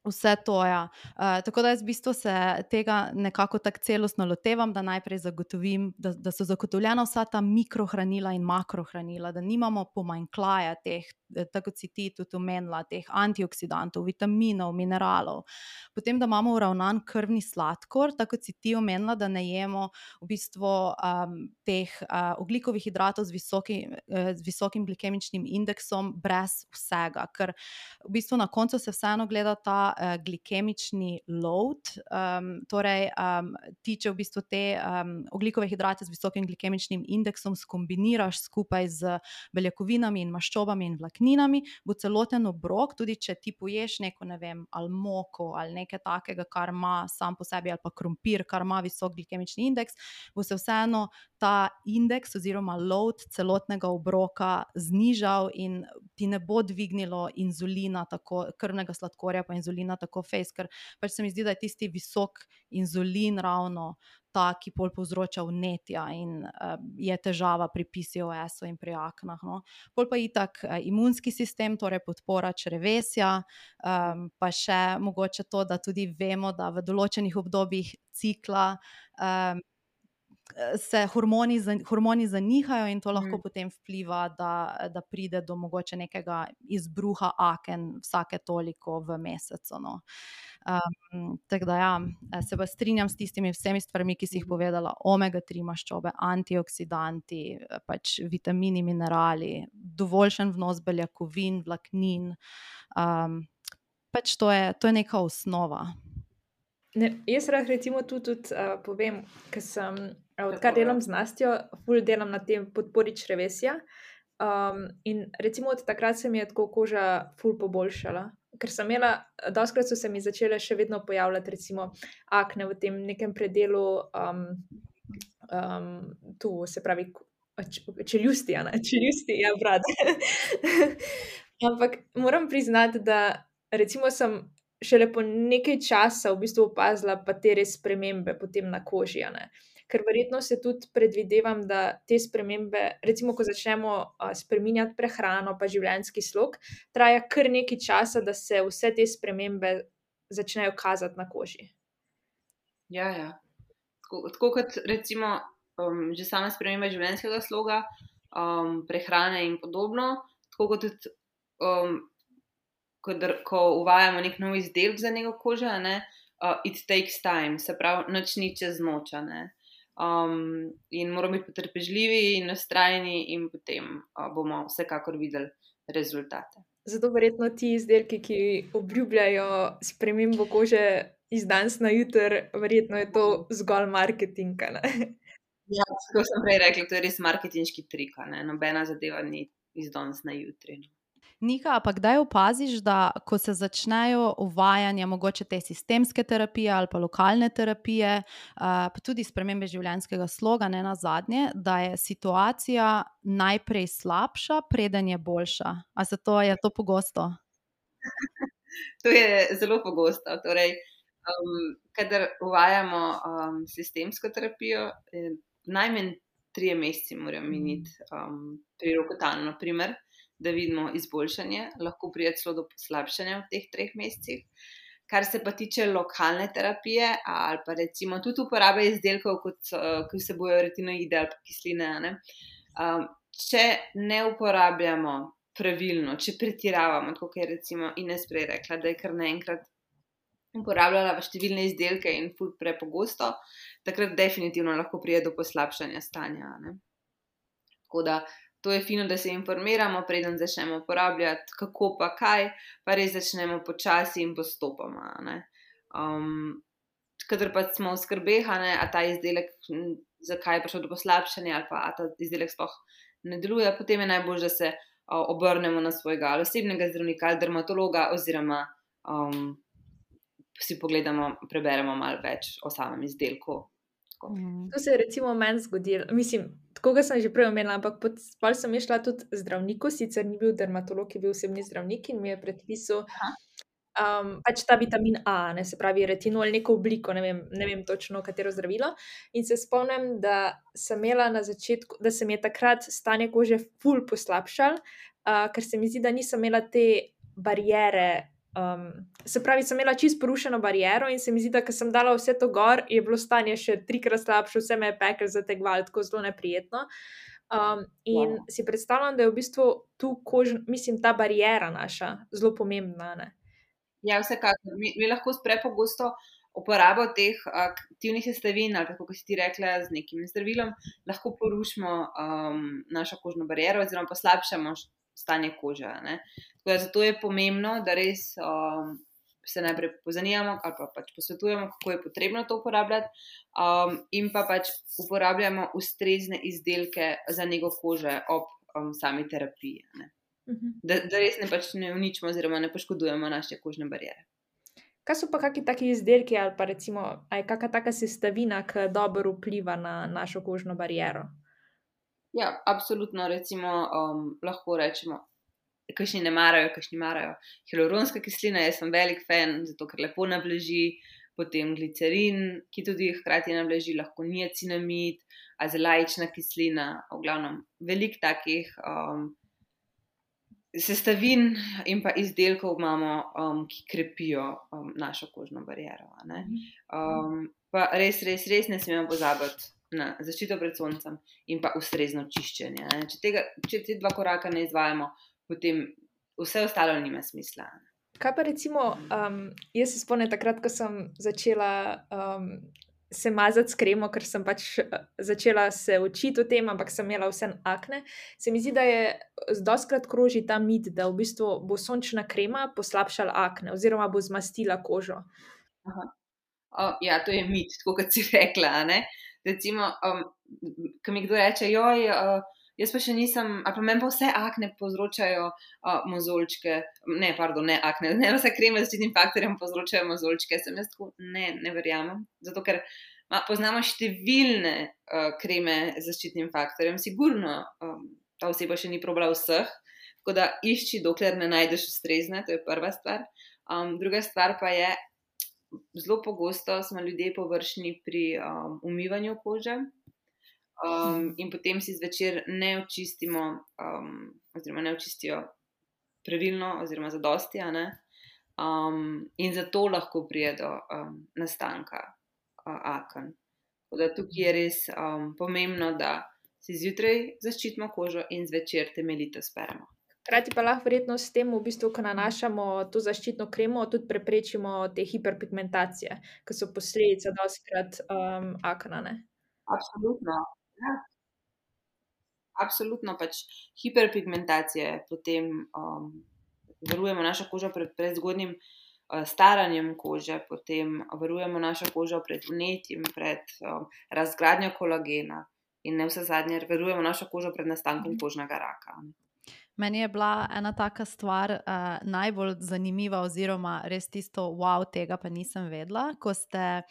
vse to, ja. Uh, tako da jaz v bistvu se tega nekako tako celostno lotevam, da najprej zagotovim, da, da so zagotovljena vsa ta mikrohranila in makrohranila, da nimamo pomanjkljaja teh, tako kot si ti tudi omenila, teh antioksidantov, vitaminov, mineralov. Potem, da imamo uravnan krvni sladkor, tako kot si ti omenila, da ne jemo v bistvu um, teh uh, ogljikovih hidratov z, visoki, uh, z visokim glikemičnim indeksom brez vsega, ker v bistvu na koncu se vseeno gleda ta uh, glikemični load, um, torej um, ti, če v bistvu te um, ogljikove hidrate z visokim glikemičnim indeksom skombiniraš skupaj z beljakovinami in maščobami in vlakninami, bo celoten obrok, tudi če ti poješ neko, ne vem, ali moko ali nekaj takega, kar ima sam po sebi, ali pa krompir, kar ima visok glikemični indeks, bo se vseeno ta indeks oziroma load celotnega obroka znižal in ti ne bo dvignilo inzulina, tako, krvnega sladkorja pa inzulina tako fejst, ker pač se mi zdi, da je tisti visok inzulin ravno ta, ki pol povzroča vnetja in uh, je težava pri P C O S-u in pri aknah. No. Pol pa itak uh, imunski sistem, torej podpora črevesja, um, pa še mogoče to, da tudi vemo, da v določenih obdobjih cikla um, se hormoni, hormoni zanihajo in to lahko mm. potem vpliva, da, da pride do mogoče nekega izbruha aken vsake toliko v mesecu. No. Um, tako da ja, se pa strinjam s tistimi vsemi stvarmi, ki si jih povedala, omega tri maščobe, antioksidanti, pač vitamini, minerali, dovoljšen vnos beljakovin, vlaknin, um, pač to je, to je neka osnova. Ne, jaz rad recimo tu tudi uh, povem, ker sem, odkar delam z Nastjo, ful delam na tem podpori črevesja, um, in recimo od takrat se mi je tako koža ful poboljšala. Ker sem imela, dostikrat so se mi začele še vedno pojavljati recimo akne v tem nekem predelu, um, um, tu se pravi čeljusti, ne? Čeljusti, ja, brat. Ampak moram priznati, da recimo sem šele po nekaj časa v bistvu opazila pa te res spremembe potem na koži, ne? Ker verjetno se tudi predvidevam, da te spremembe, recimo, ko začnemo uh, spreminjati prehrano pa življenjski slog, traja kar nekaj časa, da se vse te spremembe začnejo kazati na koži. Ja, ja. Tako, tako kot recimo um, že sama sprememba življenjskega sloga, um, prehrane in podobno, tako kot tudi um, ko, ko uvajamo nek nov izdelek za nego kožo, ne, uh, it takes time, se pravi, nič ni čez noč, ne. Um, in moramo biti potrpežljivi in vztrajni in potem uh, bomo vsekakor videli rezultate. Zato verjetno ti izdelki, ki obljubljajo spremembo kože, iz danes na jutri, verjetno je to zgolj marketing, a ne. Ja, tako sem prej rekla, to je res marketinški trik, a ne, nobena zadeva ni iz danes na jutri. Nika, pa kdaj opaziš, da ko se začnejo uvajanja mogoče te sistemske terapije ali pa lokalne terapije, uh, pa tudi spremembe življenjskega sloga, ne nazadnje, da je situacija najprej slabša, preden je boljša? A se to, je to pogosto? To je zelo pogosto. Torej, um, kadar uvajamo um, sistemsko terapijo, eh, najmanj trije meseci morajo miniti um, pri Rokotanju, na primer, da vidimo izboljšanje, lahko pride celo do poslabšanja v teh treh mesecih. Kar se pa tiče lokalne terapije ali pa recimo tudi uporabe izdelkov, kot, uh, ki vsebujejo retinoide ali pa kisline, ne, um, če ne uporabljamo pravilno, če pretiravamo, tako kot je recimo Ines prej rekla, da je kar naenkrat uporabljala številne izdelke in ful prepogosto, takrat definitivno lahko pride do poslabšanja stanja, ne. Tako da to je fino, da se informiramo, preden začnemo uporabljati, kako pa kaj, pa res začnemo počasi in postopoma, ne. Um, kadar pa smo v skrbeh, a ne, a ta izdelek, zakaj je prišlo do poslabšanja ali pa a ta izdelek sploh ne deluje, potem je najbolj, da se obrnemo na svojega osebnega zdravnika ali dermatologa oziroma um, si pogledamo, preberemo malo več o samem izdelku. Mhm. To se je recimo meni zgodilo, mislim, tako ga sem že prej omenila, ampak potem sem šla tudi zdravniku, sicer ni bil dermatolog, je bil osebni zdravnik in mi je predpisal um, pač ta vitamin A, ne, se pravi retinol, neko obliko, ne vem, ne vem točno katero zdravilo. In se spomnim, da sem imela na začetku, da se mi je takrat stanje kože ful poslabšalo, uh, ker se mi zdi, da nisem imela te bariere. Um, se pravi, sem imela čisto porušeno bariero in se mi zdi, da ko sem dala vse to gor, je bilo stanje še trikrat slabše, vse me je pekel, zategovalo, tako zelo neprijetno. Um, in Wow. si predstavljam, da je v bistvu tu kož, mislim, ta bariera naša zelo pomembna, ne? Ja, vsekakor. Mi, mi lahko prepogosto uporabo teh aktivnih sestavin, ali kako si ti rekla, z nekim zdravilom, lahko porušimo um, našo kožno bariero oziroma poslabšamo stanje kože, ne. Tako da zato je pomembno, da res um, se najprej pozanimamo ali pa pač posvetujemo, kako je potrebno to uporabljati, um, in pa pač uporabljamo ustrezne izdelke za nego kože ob um, sami terapiji, ne. Da, da res ne, pač ne uničimo oziroma ne poškodujemo naše kožne bariere. Kaj so pa kakšni taki izdelki ali pa recimo, a je kakšna taka sestavina, ki dobro vpliva na našo kožno bariero? Ja, absolutno, recimo um, lahko rečemo, kakšni ne marajo, kakšni marajo hialuronska kislina, jaz sem velik fan, zato ker lepo navlaži, potem glicerin, ki tudi hkrati navlaži, lahko niacinamid, azelaična kislina, v glavnem veliko takih um, sestavin in pa izdelkov imamo, um, ki krepijo um, našo kožno bariero, ne. Um, pa res, res, res ne smemo pozabiti na zaščito pred soncem in pa ustrezno čiščenje, ne. Če tega, če te dva koraka ne izvajamo, potem vse ostalo nima smisla. Kaj pa recimo, um, jaz se spomnim takrat, ko sem začela um, se mazati s kremo, ker sem pač začela se učiti o tem, ampak sem imela vseeno akne, se mi zdi, da je dostikrat kroži ta mit, da v bistvu bo sončna krema poslabšala akne oziroma bo zmastila kožo. Aha. O, ja, to je mit, tako kot si rekla, a ne. Recimo, um, ko mi kdo reče, joj, uh, jaz pa še nisem, ali pa meni pa vse akne povzročajo uh, mozolčke, ne, pardon, ne akne, ne vse kreme z zaščitnim faktorjem povzročajo mozolčke, sem jaz tako, ne, ne verjamem, zato ker ma, poznamo številne uh, kreme z zaščitnim faktorjem, sigurno um, ta oseba še ni probala vseh, tako da išči, dokler ne najdeš ustrezne, to je prva stvar. Um, druga stvar pa je, zelo pogosto smo ljudje površni pri um, umivanju kože um, in potem si zvečer ne očistimo, um, oziroma ne očistijo pravilno, oziroma zadosti, a ne. Um, in zato lahko pride do um, nastanka uh, aken. Tako da tukaj je res um, pomembno, da si zjutraj zaščitimo kožo in zvečer temeljito speremo. Hkrati pa lahko verjetno s tem, v bistvu, ko nanašamo to zaščitno kremo, tudi preprečimo te hiperpigmentacije, ki so posledica dostikrat um, akna, ne? Absolutno, ja. Absolutno, pač hiperpigmentacije, potem um, varujemo našo kožo pred prezgodnjim staranjem kože, potem varujemo našo kožo pred vnetjem, pred um, razgradnjo kolagena in ne vse zadnje, varujemo našo kožo pred nastankom kožnega raka. Meni je bila ena taka stvar uh, najbolj zanimiva oziroma res tisto wow, tega pa nisem vedela, ko ste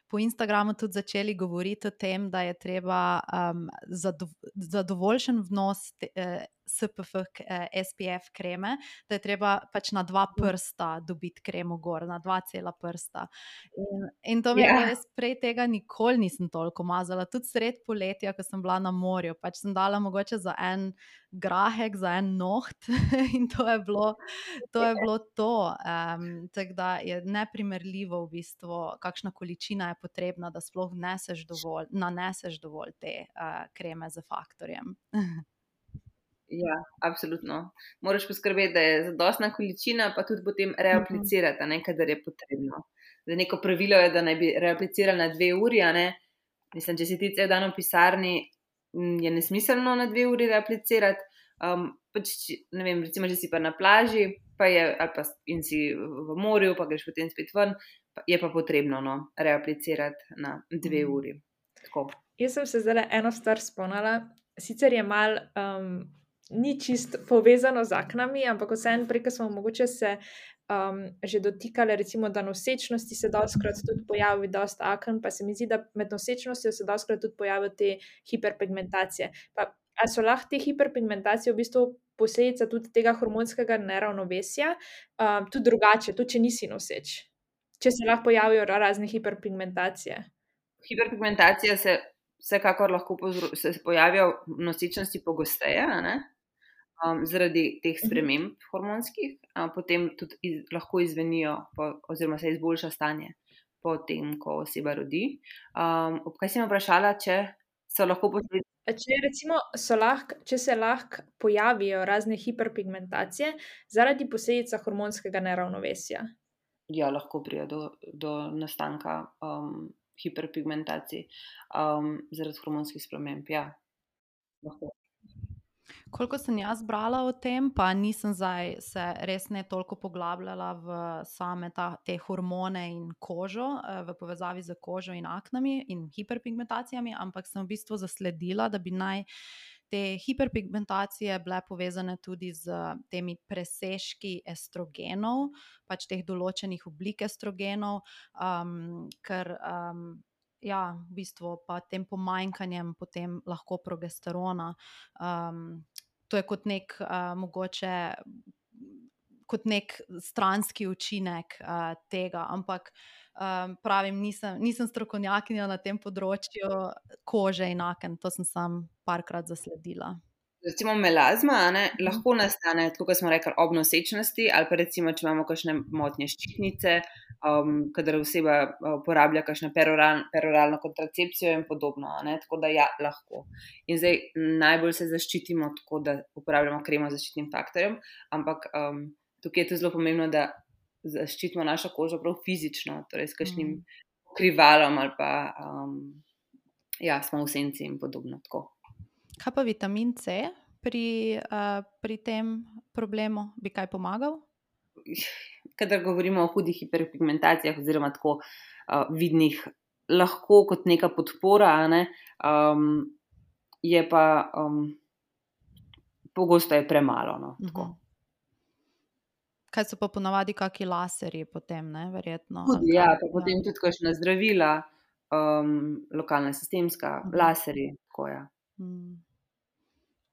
po Instagramu tudi začeli govoriti o tem, da je treba um, zado zadovoljšen vnos te, uh, S P F, uh, S P F kreme, da je treba pač na dva prsta dobiti kremo gor, na dva cela prsta. In, in to mi je Ja. bilo, jaz prej tega nikoli nisem toliko mazala, tudi sred poletja, ko sem bila na morju, pač sem dala mogoče za en grahek, za en noht in to je bilo to. Je bilo to. Um, tako da je neprimerljivo v bistvu, kakšna količina je potrebna, da sploh vneseš dovolj, naneseš dovolj te uh, kreme z faktorjem. Ja, absolutno. Moraš poskrbeti, da je zadostna količina, pa tudi potem reaplicirati, a ne, kadar je potrebno. Zdaj, neko pravilo je, da naj bi reaplicirali na dve uri, a ne. Mislim, če si ti cel dan v pisarni, m, je nesmiselno na dve uri reaplicirati. Um, pač, če- ne vem, recimo, če si pa na plaži, pa je, ali pa s- in si v morju, pa greš potem spet ven, pa je pa potrebno, no, reaplicirati na dve Mhm. uri. Tako. Jaz sem se zdaj eno stvar spomnila, sicer je mal, um, ni čist povezano z aknami, ampak vseeno prej, ko smo mogoče se um, že dotikali, recimo, da nosečnosti se dostikrat tudi pojavi dosti aken, pa se mi zdi, da med nosečnostjo se dostikrat tudi pojavijo te hiperpigmentacije. Pa, a so lahko te hiperpigmentacije v bistvu posledica tudi tega hormonskega neravnovesja, um, tudi drugače, tudi če nisi noseč? Če se lahko pojavijo ra- razne hiperpigmentacije. Hiperpigmentacija se vsekakor lahko povzro- se se pojavijo v nosečnosti pogosteje, a ne? Um, zaradi teh sprememb hormonskih, a potem tudi iz, lahko izvenijo, po, oziroma se izboljša stanje po tem, ko oseba rodi. Um, ob kaj si me vprašala, če so lahko posledice? A Če, recimo, so lahko, če se lahko pojavijo razne hiperpigmentacije zaradi posledica hormonskega neravnovesja. Ja, lahko pride do, do nastanka um, hiperpigmentacij um, zaradi hormonskih sprememb. Ja, lahko. Koliko sem jaz brala o tem, pa nisem zdaj se res ne toliko poglabljala v same ta, te hormone in kožo, eh, v povezavi z kožo in aknami in hiperpigmentacijami, ampak sem v bistvu zasledila, da bi naj te hiperpigmentacije bile povezane tudi z temi presežki estrogenov, pač teh določenih oblik estrogenov, um, ker um, ja, v bistvu pa tem pomanjkanjem potem lahko progesterona. Um, to je kot nek uh, mogoče kot nek stranski učinek uh, tega, ampak um, pravim, nisem, nisem strokovnjakinja na tem področju kože in aken, to sem sam parkrat zasledila. Recimo melazma, a ne, lahko nastane, tako kot smo rekli, ob nosečnosti, ali pa recimo, če imamo kakšne motnje ščitnice, um, kadar oseba uh, uporablja kakšno peroral, peroralno kontracepcijo in podobno, a ne, tako da ja, lahko. In zdaj najbolj se zaščitimo tako, da uporabljamo kremo z zaščitnim faktorjem, ampak um, tukaj je to zelo pomembno, da zaščitimo našo kožo prav fizično, torej s kakšnim Mm. pokrivalom ali pa um, ja, smo v senci in podobno. Tako. Kaj pa vitamin C pri, uh, pri tem problemu? Bi kaj pomagal? Kadar govorimo o hudih hiperpigmentacijah oziroma tako uh, vidnih, lahko kot neka podpora, a ne, um, je pa um, pogosto je premalo. No, tako. Mhm. Kaj so pa ponavadi kaki laserji potem, ne, verjetno? Tudi, ali ja, kaj? pa potem tudi kakšna zdravila, um, lokalna sistemska, Mhm. laserji, tako ja. Mm.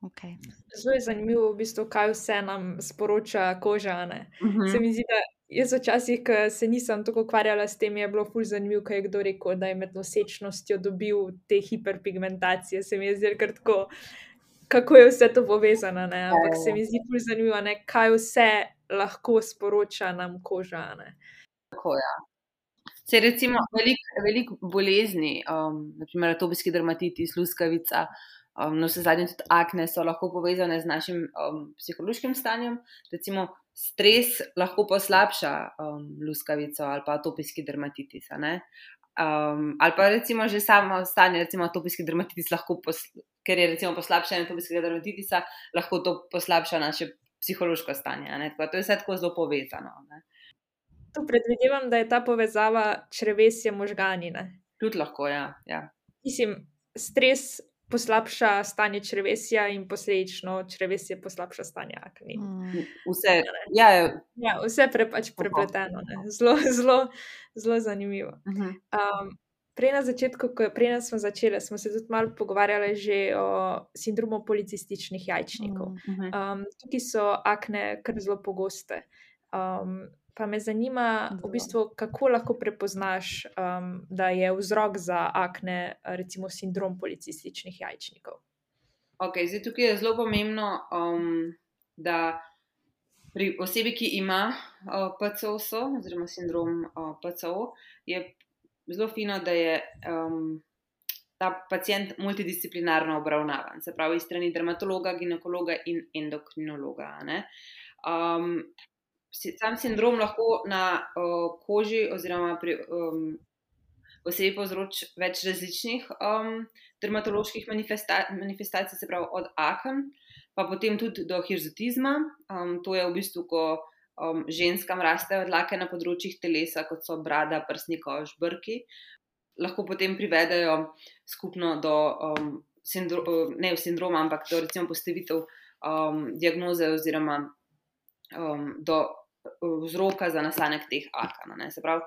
Okay. Zelo je zanimivo, v bistvu, kaj vse nam sporoča koža. a ne. Mhm. Se mi zdi, da jaz včasih, ko se nisem tako ukvarjala s tem, je bilo ful zanimivo, ko je kdo rekel, da je med nosečnostjo dobil te hiperpigmentacije. Se mi je zdelo kar tako, kako je vse to povezano. ne. Ampak Ja, ja, se mi zdi ful zanimivo, a ne, kaj vse lahko sporoča nam koža. a ne. Tako, ja. Se recimo veliko velik bolezni, um, naprimer atopijski dermatitis, luskavica, um, no vse zadnje tudi akne so lahko povezane z našim um, psihološkim stanjem. Recimo stres lahko poslabša um, luskavico ali pa atopijski dermatitis, a ne. Um, ali pa recimo že samo stanje, recimo atopijski dermatitis lahko, pos, ker je recimo poslabšanje atopijskega dermatitisa, lahko to poslabša naše psihološko stanje, a ne. Tako da to je vse tako zelo povezano, ne. Tu predvidevam, da je ta povezava črevesje možgani, ne? Tudi lahko, ja. ja. Mislim, stres poslabša stanje črevesja in posledično črevesje poslabša stanje akni. Mm. Vse, ja, ja. Ja, vse pre, pač prepleteno, ne? Zelo, zelo, zelo zanimivo. Mhm. Um, prej na začetku, ko prej smo začeli, smo se tudi malo pogovarjali že o sindromu policističnih jajčnikov. Mm. Um, tukaj so akne kar zelo pogoste. Um, pa me zanima, v bistvu, kako lahko prepoznaš, um, da je vzrok za akne, recimo sindrom policističnih jajčnikov. Ok, zdaj tukaj je zelo pomembno, um, da pri osebi, ki ima uh, P C O S, oziroma sindrom uh, P C O, je zelo fino, da je um, ta pacient multidisciplinarno obravnavan, se pravi, strani dermatologa, ginekologa in endokrinologa. Ne? Um, sam sindrom lahko na uh, koži oziroma pri um, osebi povzroči več različnih um, dermatoloških manifesta- manifestacij, se pravi od aken, pa potem tudi do hirzutizma. Um, to je v bistvu, ko um, ženskam rastejo dlake na področjih telesa, kot so brada, prsni koš, brki. Lahko potem privedejo skupno do um, sindro- ne sindroma, ampak do recimo postavitev um, diagnoze oziroma um, do vzroka za nastanek teh aken. Ne? Se pravi,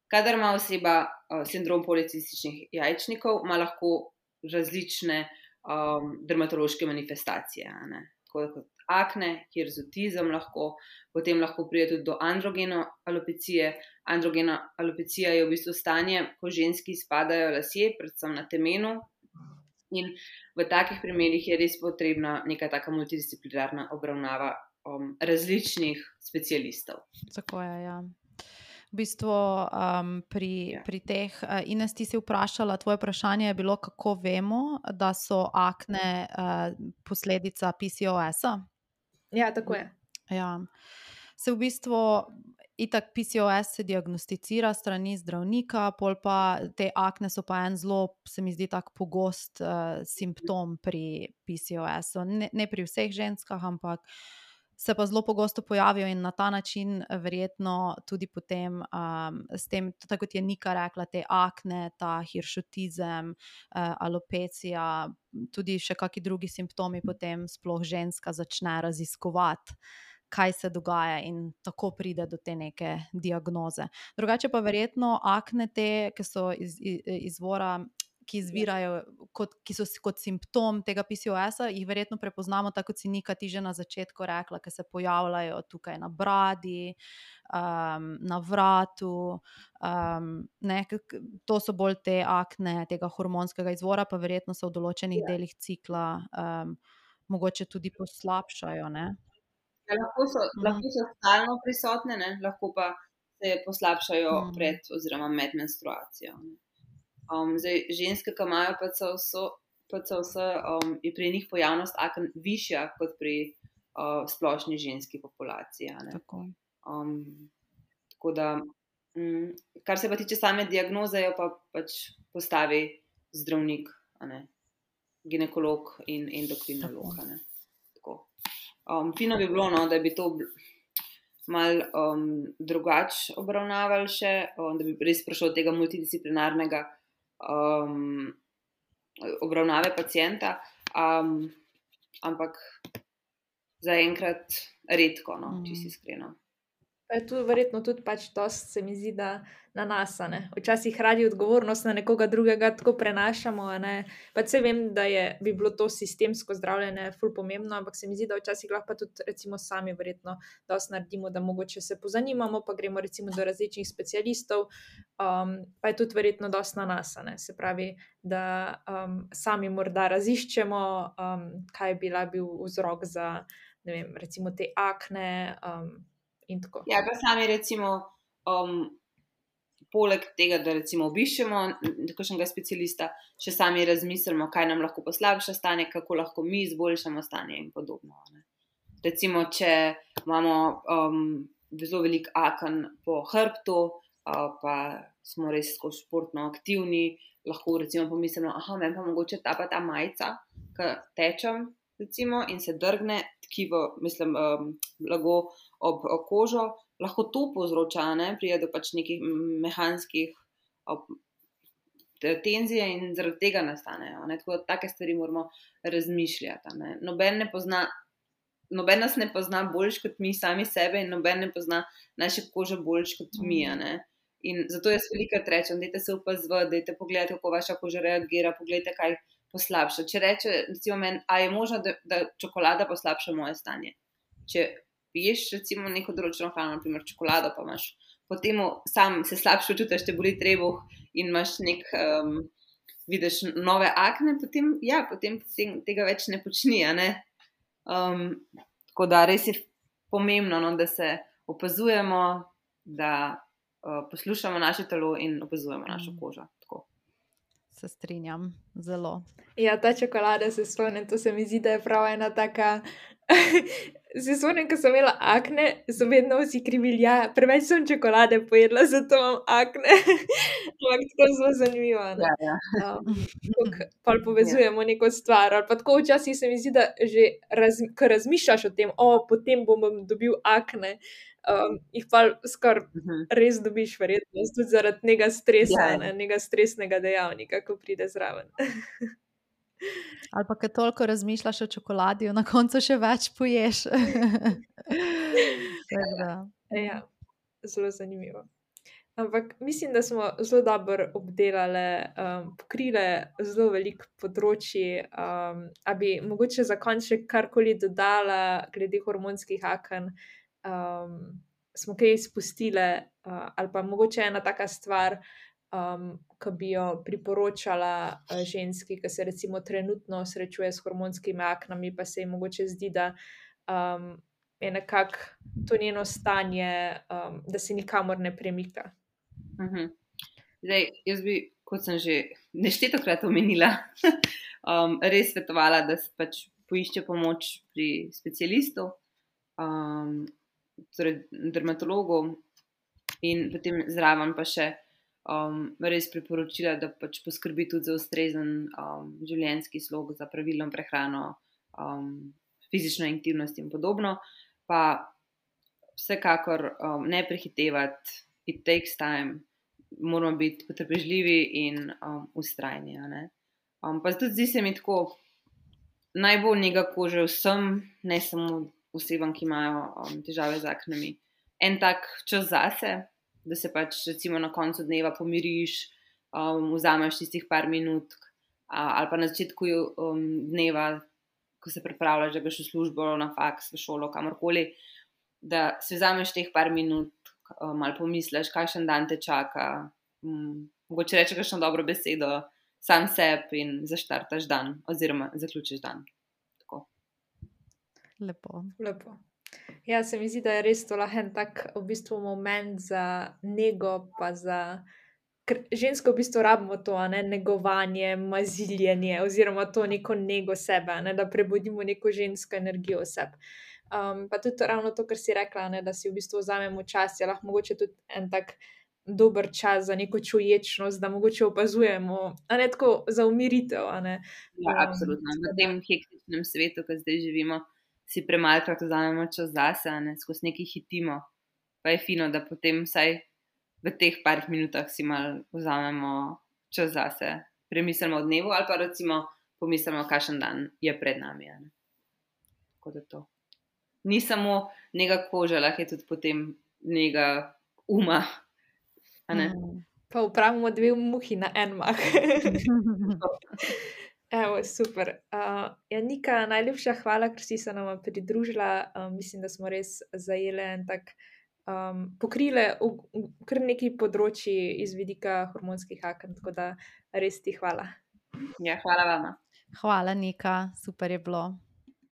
kadar ima oseba uh, sindrom policističnih jajčnikov, ima lahko različne um, dermatološke manifestacije. Ne? Tako kot akne, hirzutizem lahko, potem lahko pride tudi do androgeno alopecije. Androgena alopecija je v bistvu stanje, ko ženski izpadajo lasje, predvsem na temenu. In v takih primerih je res potrebna neka taka multidisciplinarna obravnava um, različnih specialistov. Tako je, ja. V bistvu um, pri, Ja. pri teh, uh, Ines, ti si vprašala, tvoje vprašanje je bilo, kako vemo, da so akne uh, posledica P C O S-a? Ja, tako je. Ja. Se v bistvu itak P C O S se diagnosticira strani zdravnika, pol pa te akne so pa en zelo, se mi zdi, tak pogost uh, simptom pri P C O S-u. Ne, ne pri vseh ženskah, ampak se pa zelo pogosto pojavijo in na ta način verjetno tudi potem um, s tem, tako kot je Nika rekla, te akne, ta hiršutizem, uh, alopecija, tudi še kakšni drugi simptomi, potem sploh ženska začne raziskovati, kaj se dogaja in tako pride do te neke diagnoze. Drugače pa verjetno akne te, ki so iz, iz, izvora, ki izvirajo, kot, ki so kot simptom tega P C O S-a, jih verjetno prepoznamo, tako kot si Nika ti že na začetku rekla, ki se pojavljajo tukaj na bradi, um, na vratu, um, ne, to so bolj te akne tega hormonskega izvora, pa verjetno se v določenih Ja. delih cikla um, mogoče tudi poslabšajo, ne? Ja, lahko so, Mhm. lahko so stalno prisotne, ne? Lahko pa se poslabšajo Mhm. pred oziroma med menstruacijo. ne. Um, zdaj, ženske, ki imajo P C O S, P C O S, um, je pri njih pojavnost aken višja kot pri uh, splošni ženski populaciji. a ne. Tako. Um, tako da, mm, kar se pa tiče same diagnoze, jo pa pač postavi zdravnik, a ne, ginekolog in endokrinolog. a ne. Tako. Um, fino bi bilo, no, da bi to bl- malo um, drugače obravnavali še, um, da bi res prišlo do tega multidisciplinarnega um, obravnave pacienta, um, ampak zaenkrat redko, no, če si Mhm. iskreno. Pa je tu verjetno tudi pač dost, se mi zdi, da na nas, a ne. Včasih radi odgovornost na nekoga drugega tako prenašamo, a ne. Pač saj vem, da je, bi bilo to sistemsko zdravljenje ful pomembno, ampak se mi zdi, da včasih lahko pa tudi recimo sami verjetno dosti naredimo, da mogoče se pozanimamo, pa gremo recimo do različnih specialistov, um, pa je tudi verjetno dosti na nas, a ne. Se pravi, da um, sami morda raziščemo, um, kaj je bila bil vzrok za, ne vem, recimo te akne, um, in tako. Ja, pa sami recimo, um, poleg tega, da recimo obiščemo kakšnega specialista, še sami razmislimo, kaj nam lahko poslabša stanje, kako lahko mi izboljšamo stanje in podobno. a ne. Recimo, če imamo um, zelo veliko aken po hrbtu, uh, pa smo res skozi športno aktivni, lahko recimo pomislimo, aha, meni pa mogoče ta pa ta majica, ki tečem, recimo, in se drgne tkivo, mislim, um, blago ob ob kožo, lahko to povzroča, ne, pride do pač nekih mehanskih tenzije in zaradi tega nastanejo. Ne. Tako da take stvari moramo razmišljati. Ne. Noben ne pozna, noben nas ne pozna boljš kot mi sami sebe in noben ne pozna naše kože boljš kot mi. Ne. In zato jaz velikokrat rečem, dajte se opazovati, dajte pogledati, kako vaša koža reagira, pogledajte, kaj poslabša. Če reče, recimo meni, a je možno, da, da čokolada poslabša moje stanje. Če piješ recimo neko določeno hrano, naprimer čokolado, pa imaš potem sam se slabše čutiš, te boli trebuh in imaš nek, um, vidiš nove akne, potem, ja, potem tega več ne počni, a ne. Um, tako da res je pomembno, no, da se opazujemo, da uh, poslušamo naše telo in opazujemo našo kožo. Tako. Se strinjam, zelo. Ja, ta čokolada se spomnim, to se mi zdi, da je prav ena taka... Se spomnim, ko sem imela akne, so vedno vsi krivili, ja, preveč sem čokolade pojedla, zato imam akne. Ampak tako zelo zanimivo, ne? Ja, ja. Um, kako pol povezujemo neko stvar, ali pa tako včasih se mi zdi, da že raz, ko razmišljaš o tem, o, potem bom dobil akne, um, jih pa skoraj res dobiš verjetnost, tudi zaradi nekega stresa, Ja. ne, nekega stresnega dejavnika, ko pride zraven. Ali pa, ko toliko razmišljaš o čokoladi, na koncu še več poješ. Tako da. Ja, zelo zanimivo. Ampak mislim, da smo zelo dobro obdelale, um, pokrile zelo veliko področji. Um, a bi mogoče za konec še karkoli dodala glede hormonskih aken? Um, smo kaj izpustile, uh, ali pa mogoče ena taka stvar, um, ki bi jo priporočala uh, ženski, ki se recimo trenutno srečuje s hormonskimi aknami, pa se ji mogoče zdi, da um, je nekako to njeno stanje, um, da se nikamor ne premika. Mhm. Zdaj, jaz bi, kot sem že neštetokrat omenila, um, res svetovala, da se pač poišče pomoč pri specialistu, um, torej dermatologu, in potem zraven pa še um, res priporočila, da pač poskrbi tudi za ustrezen um, življenjski slog, za pravilno prehrano, um, fizično aktivnost in podobno. Pa vsekakor um, ne prehitevati, it takes time, moramo biti potrpežljivi in um, ustrajni. Um, pa tudi zdi se mi tako, najbolj nega kože vsem, ne samo osebam, ki imajo um, težave z aknami. En tak čas zase, da se pač recimo na koncu dneva pomiriš, um, vzameš tistih par minut, a, ali pa na začetku um, dneva, ko se pripravljaš, da greš v službo, na faks, v šolo, kamorkoli, da se vzameš teh par minut, um, ali pomisliš, kakšen dan te čaka, um, mogoče reče kakšno dobro besedo sam sebi in zaštartaš dan oziroma zaključiš dan. Tako. Lepo. Lepo. Ja, se mi zdi, da je res to lahko en tak v bistvu moment za nego, pa za... Ker žensko v bistvu rabimo to, a ne, negovanje, maziljenje oziroma to neko nego sebe, a ne, da prebudimo neko žensko energijo v sebi. Um, pa tudi ravno to, kar si rekla, ne, da si v bistvu vzamemo čas, je lahko mogoče tudi en tak dober čas za neko čuječnost, da mogoče opazujemo, a ne tako za umiritev, a ne. Ja, Um, absolutno. V tem hektičnem svetu, ki zdaj živimo, si premalkrat vzamemo čas zase, a ne, skozi nekaj hitimo. Pa je fino, da potem vsaj v teh parih minutah si malo vzamemo čas zase, premislimo o dnevu ali pa recimo pomislimo, kakšen dan je pred nami. A ne. Tako da to. Ni samo nega kože, lahko je tudi potem nega uma. A ne? Mm. Pa upravimo dve muhi na en mah. Evo, super. Uh, ja, Nika, najlepša hvala, ker si se nama pridružila. Uh, mislim, da smo res zajele en tak, um, pokrile v, v, kar nekaj področji iz vidika hormonskih aken, tako da res ti hvala. Ja, hvala vama. Hvala, Nika, super je bilo.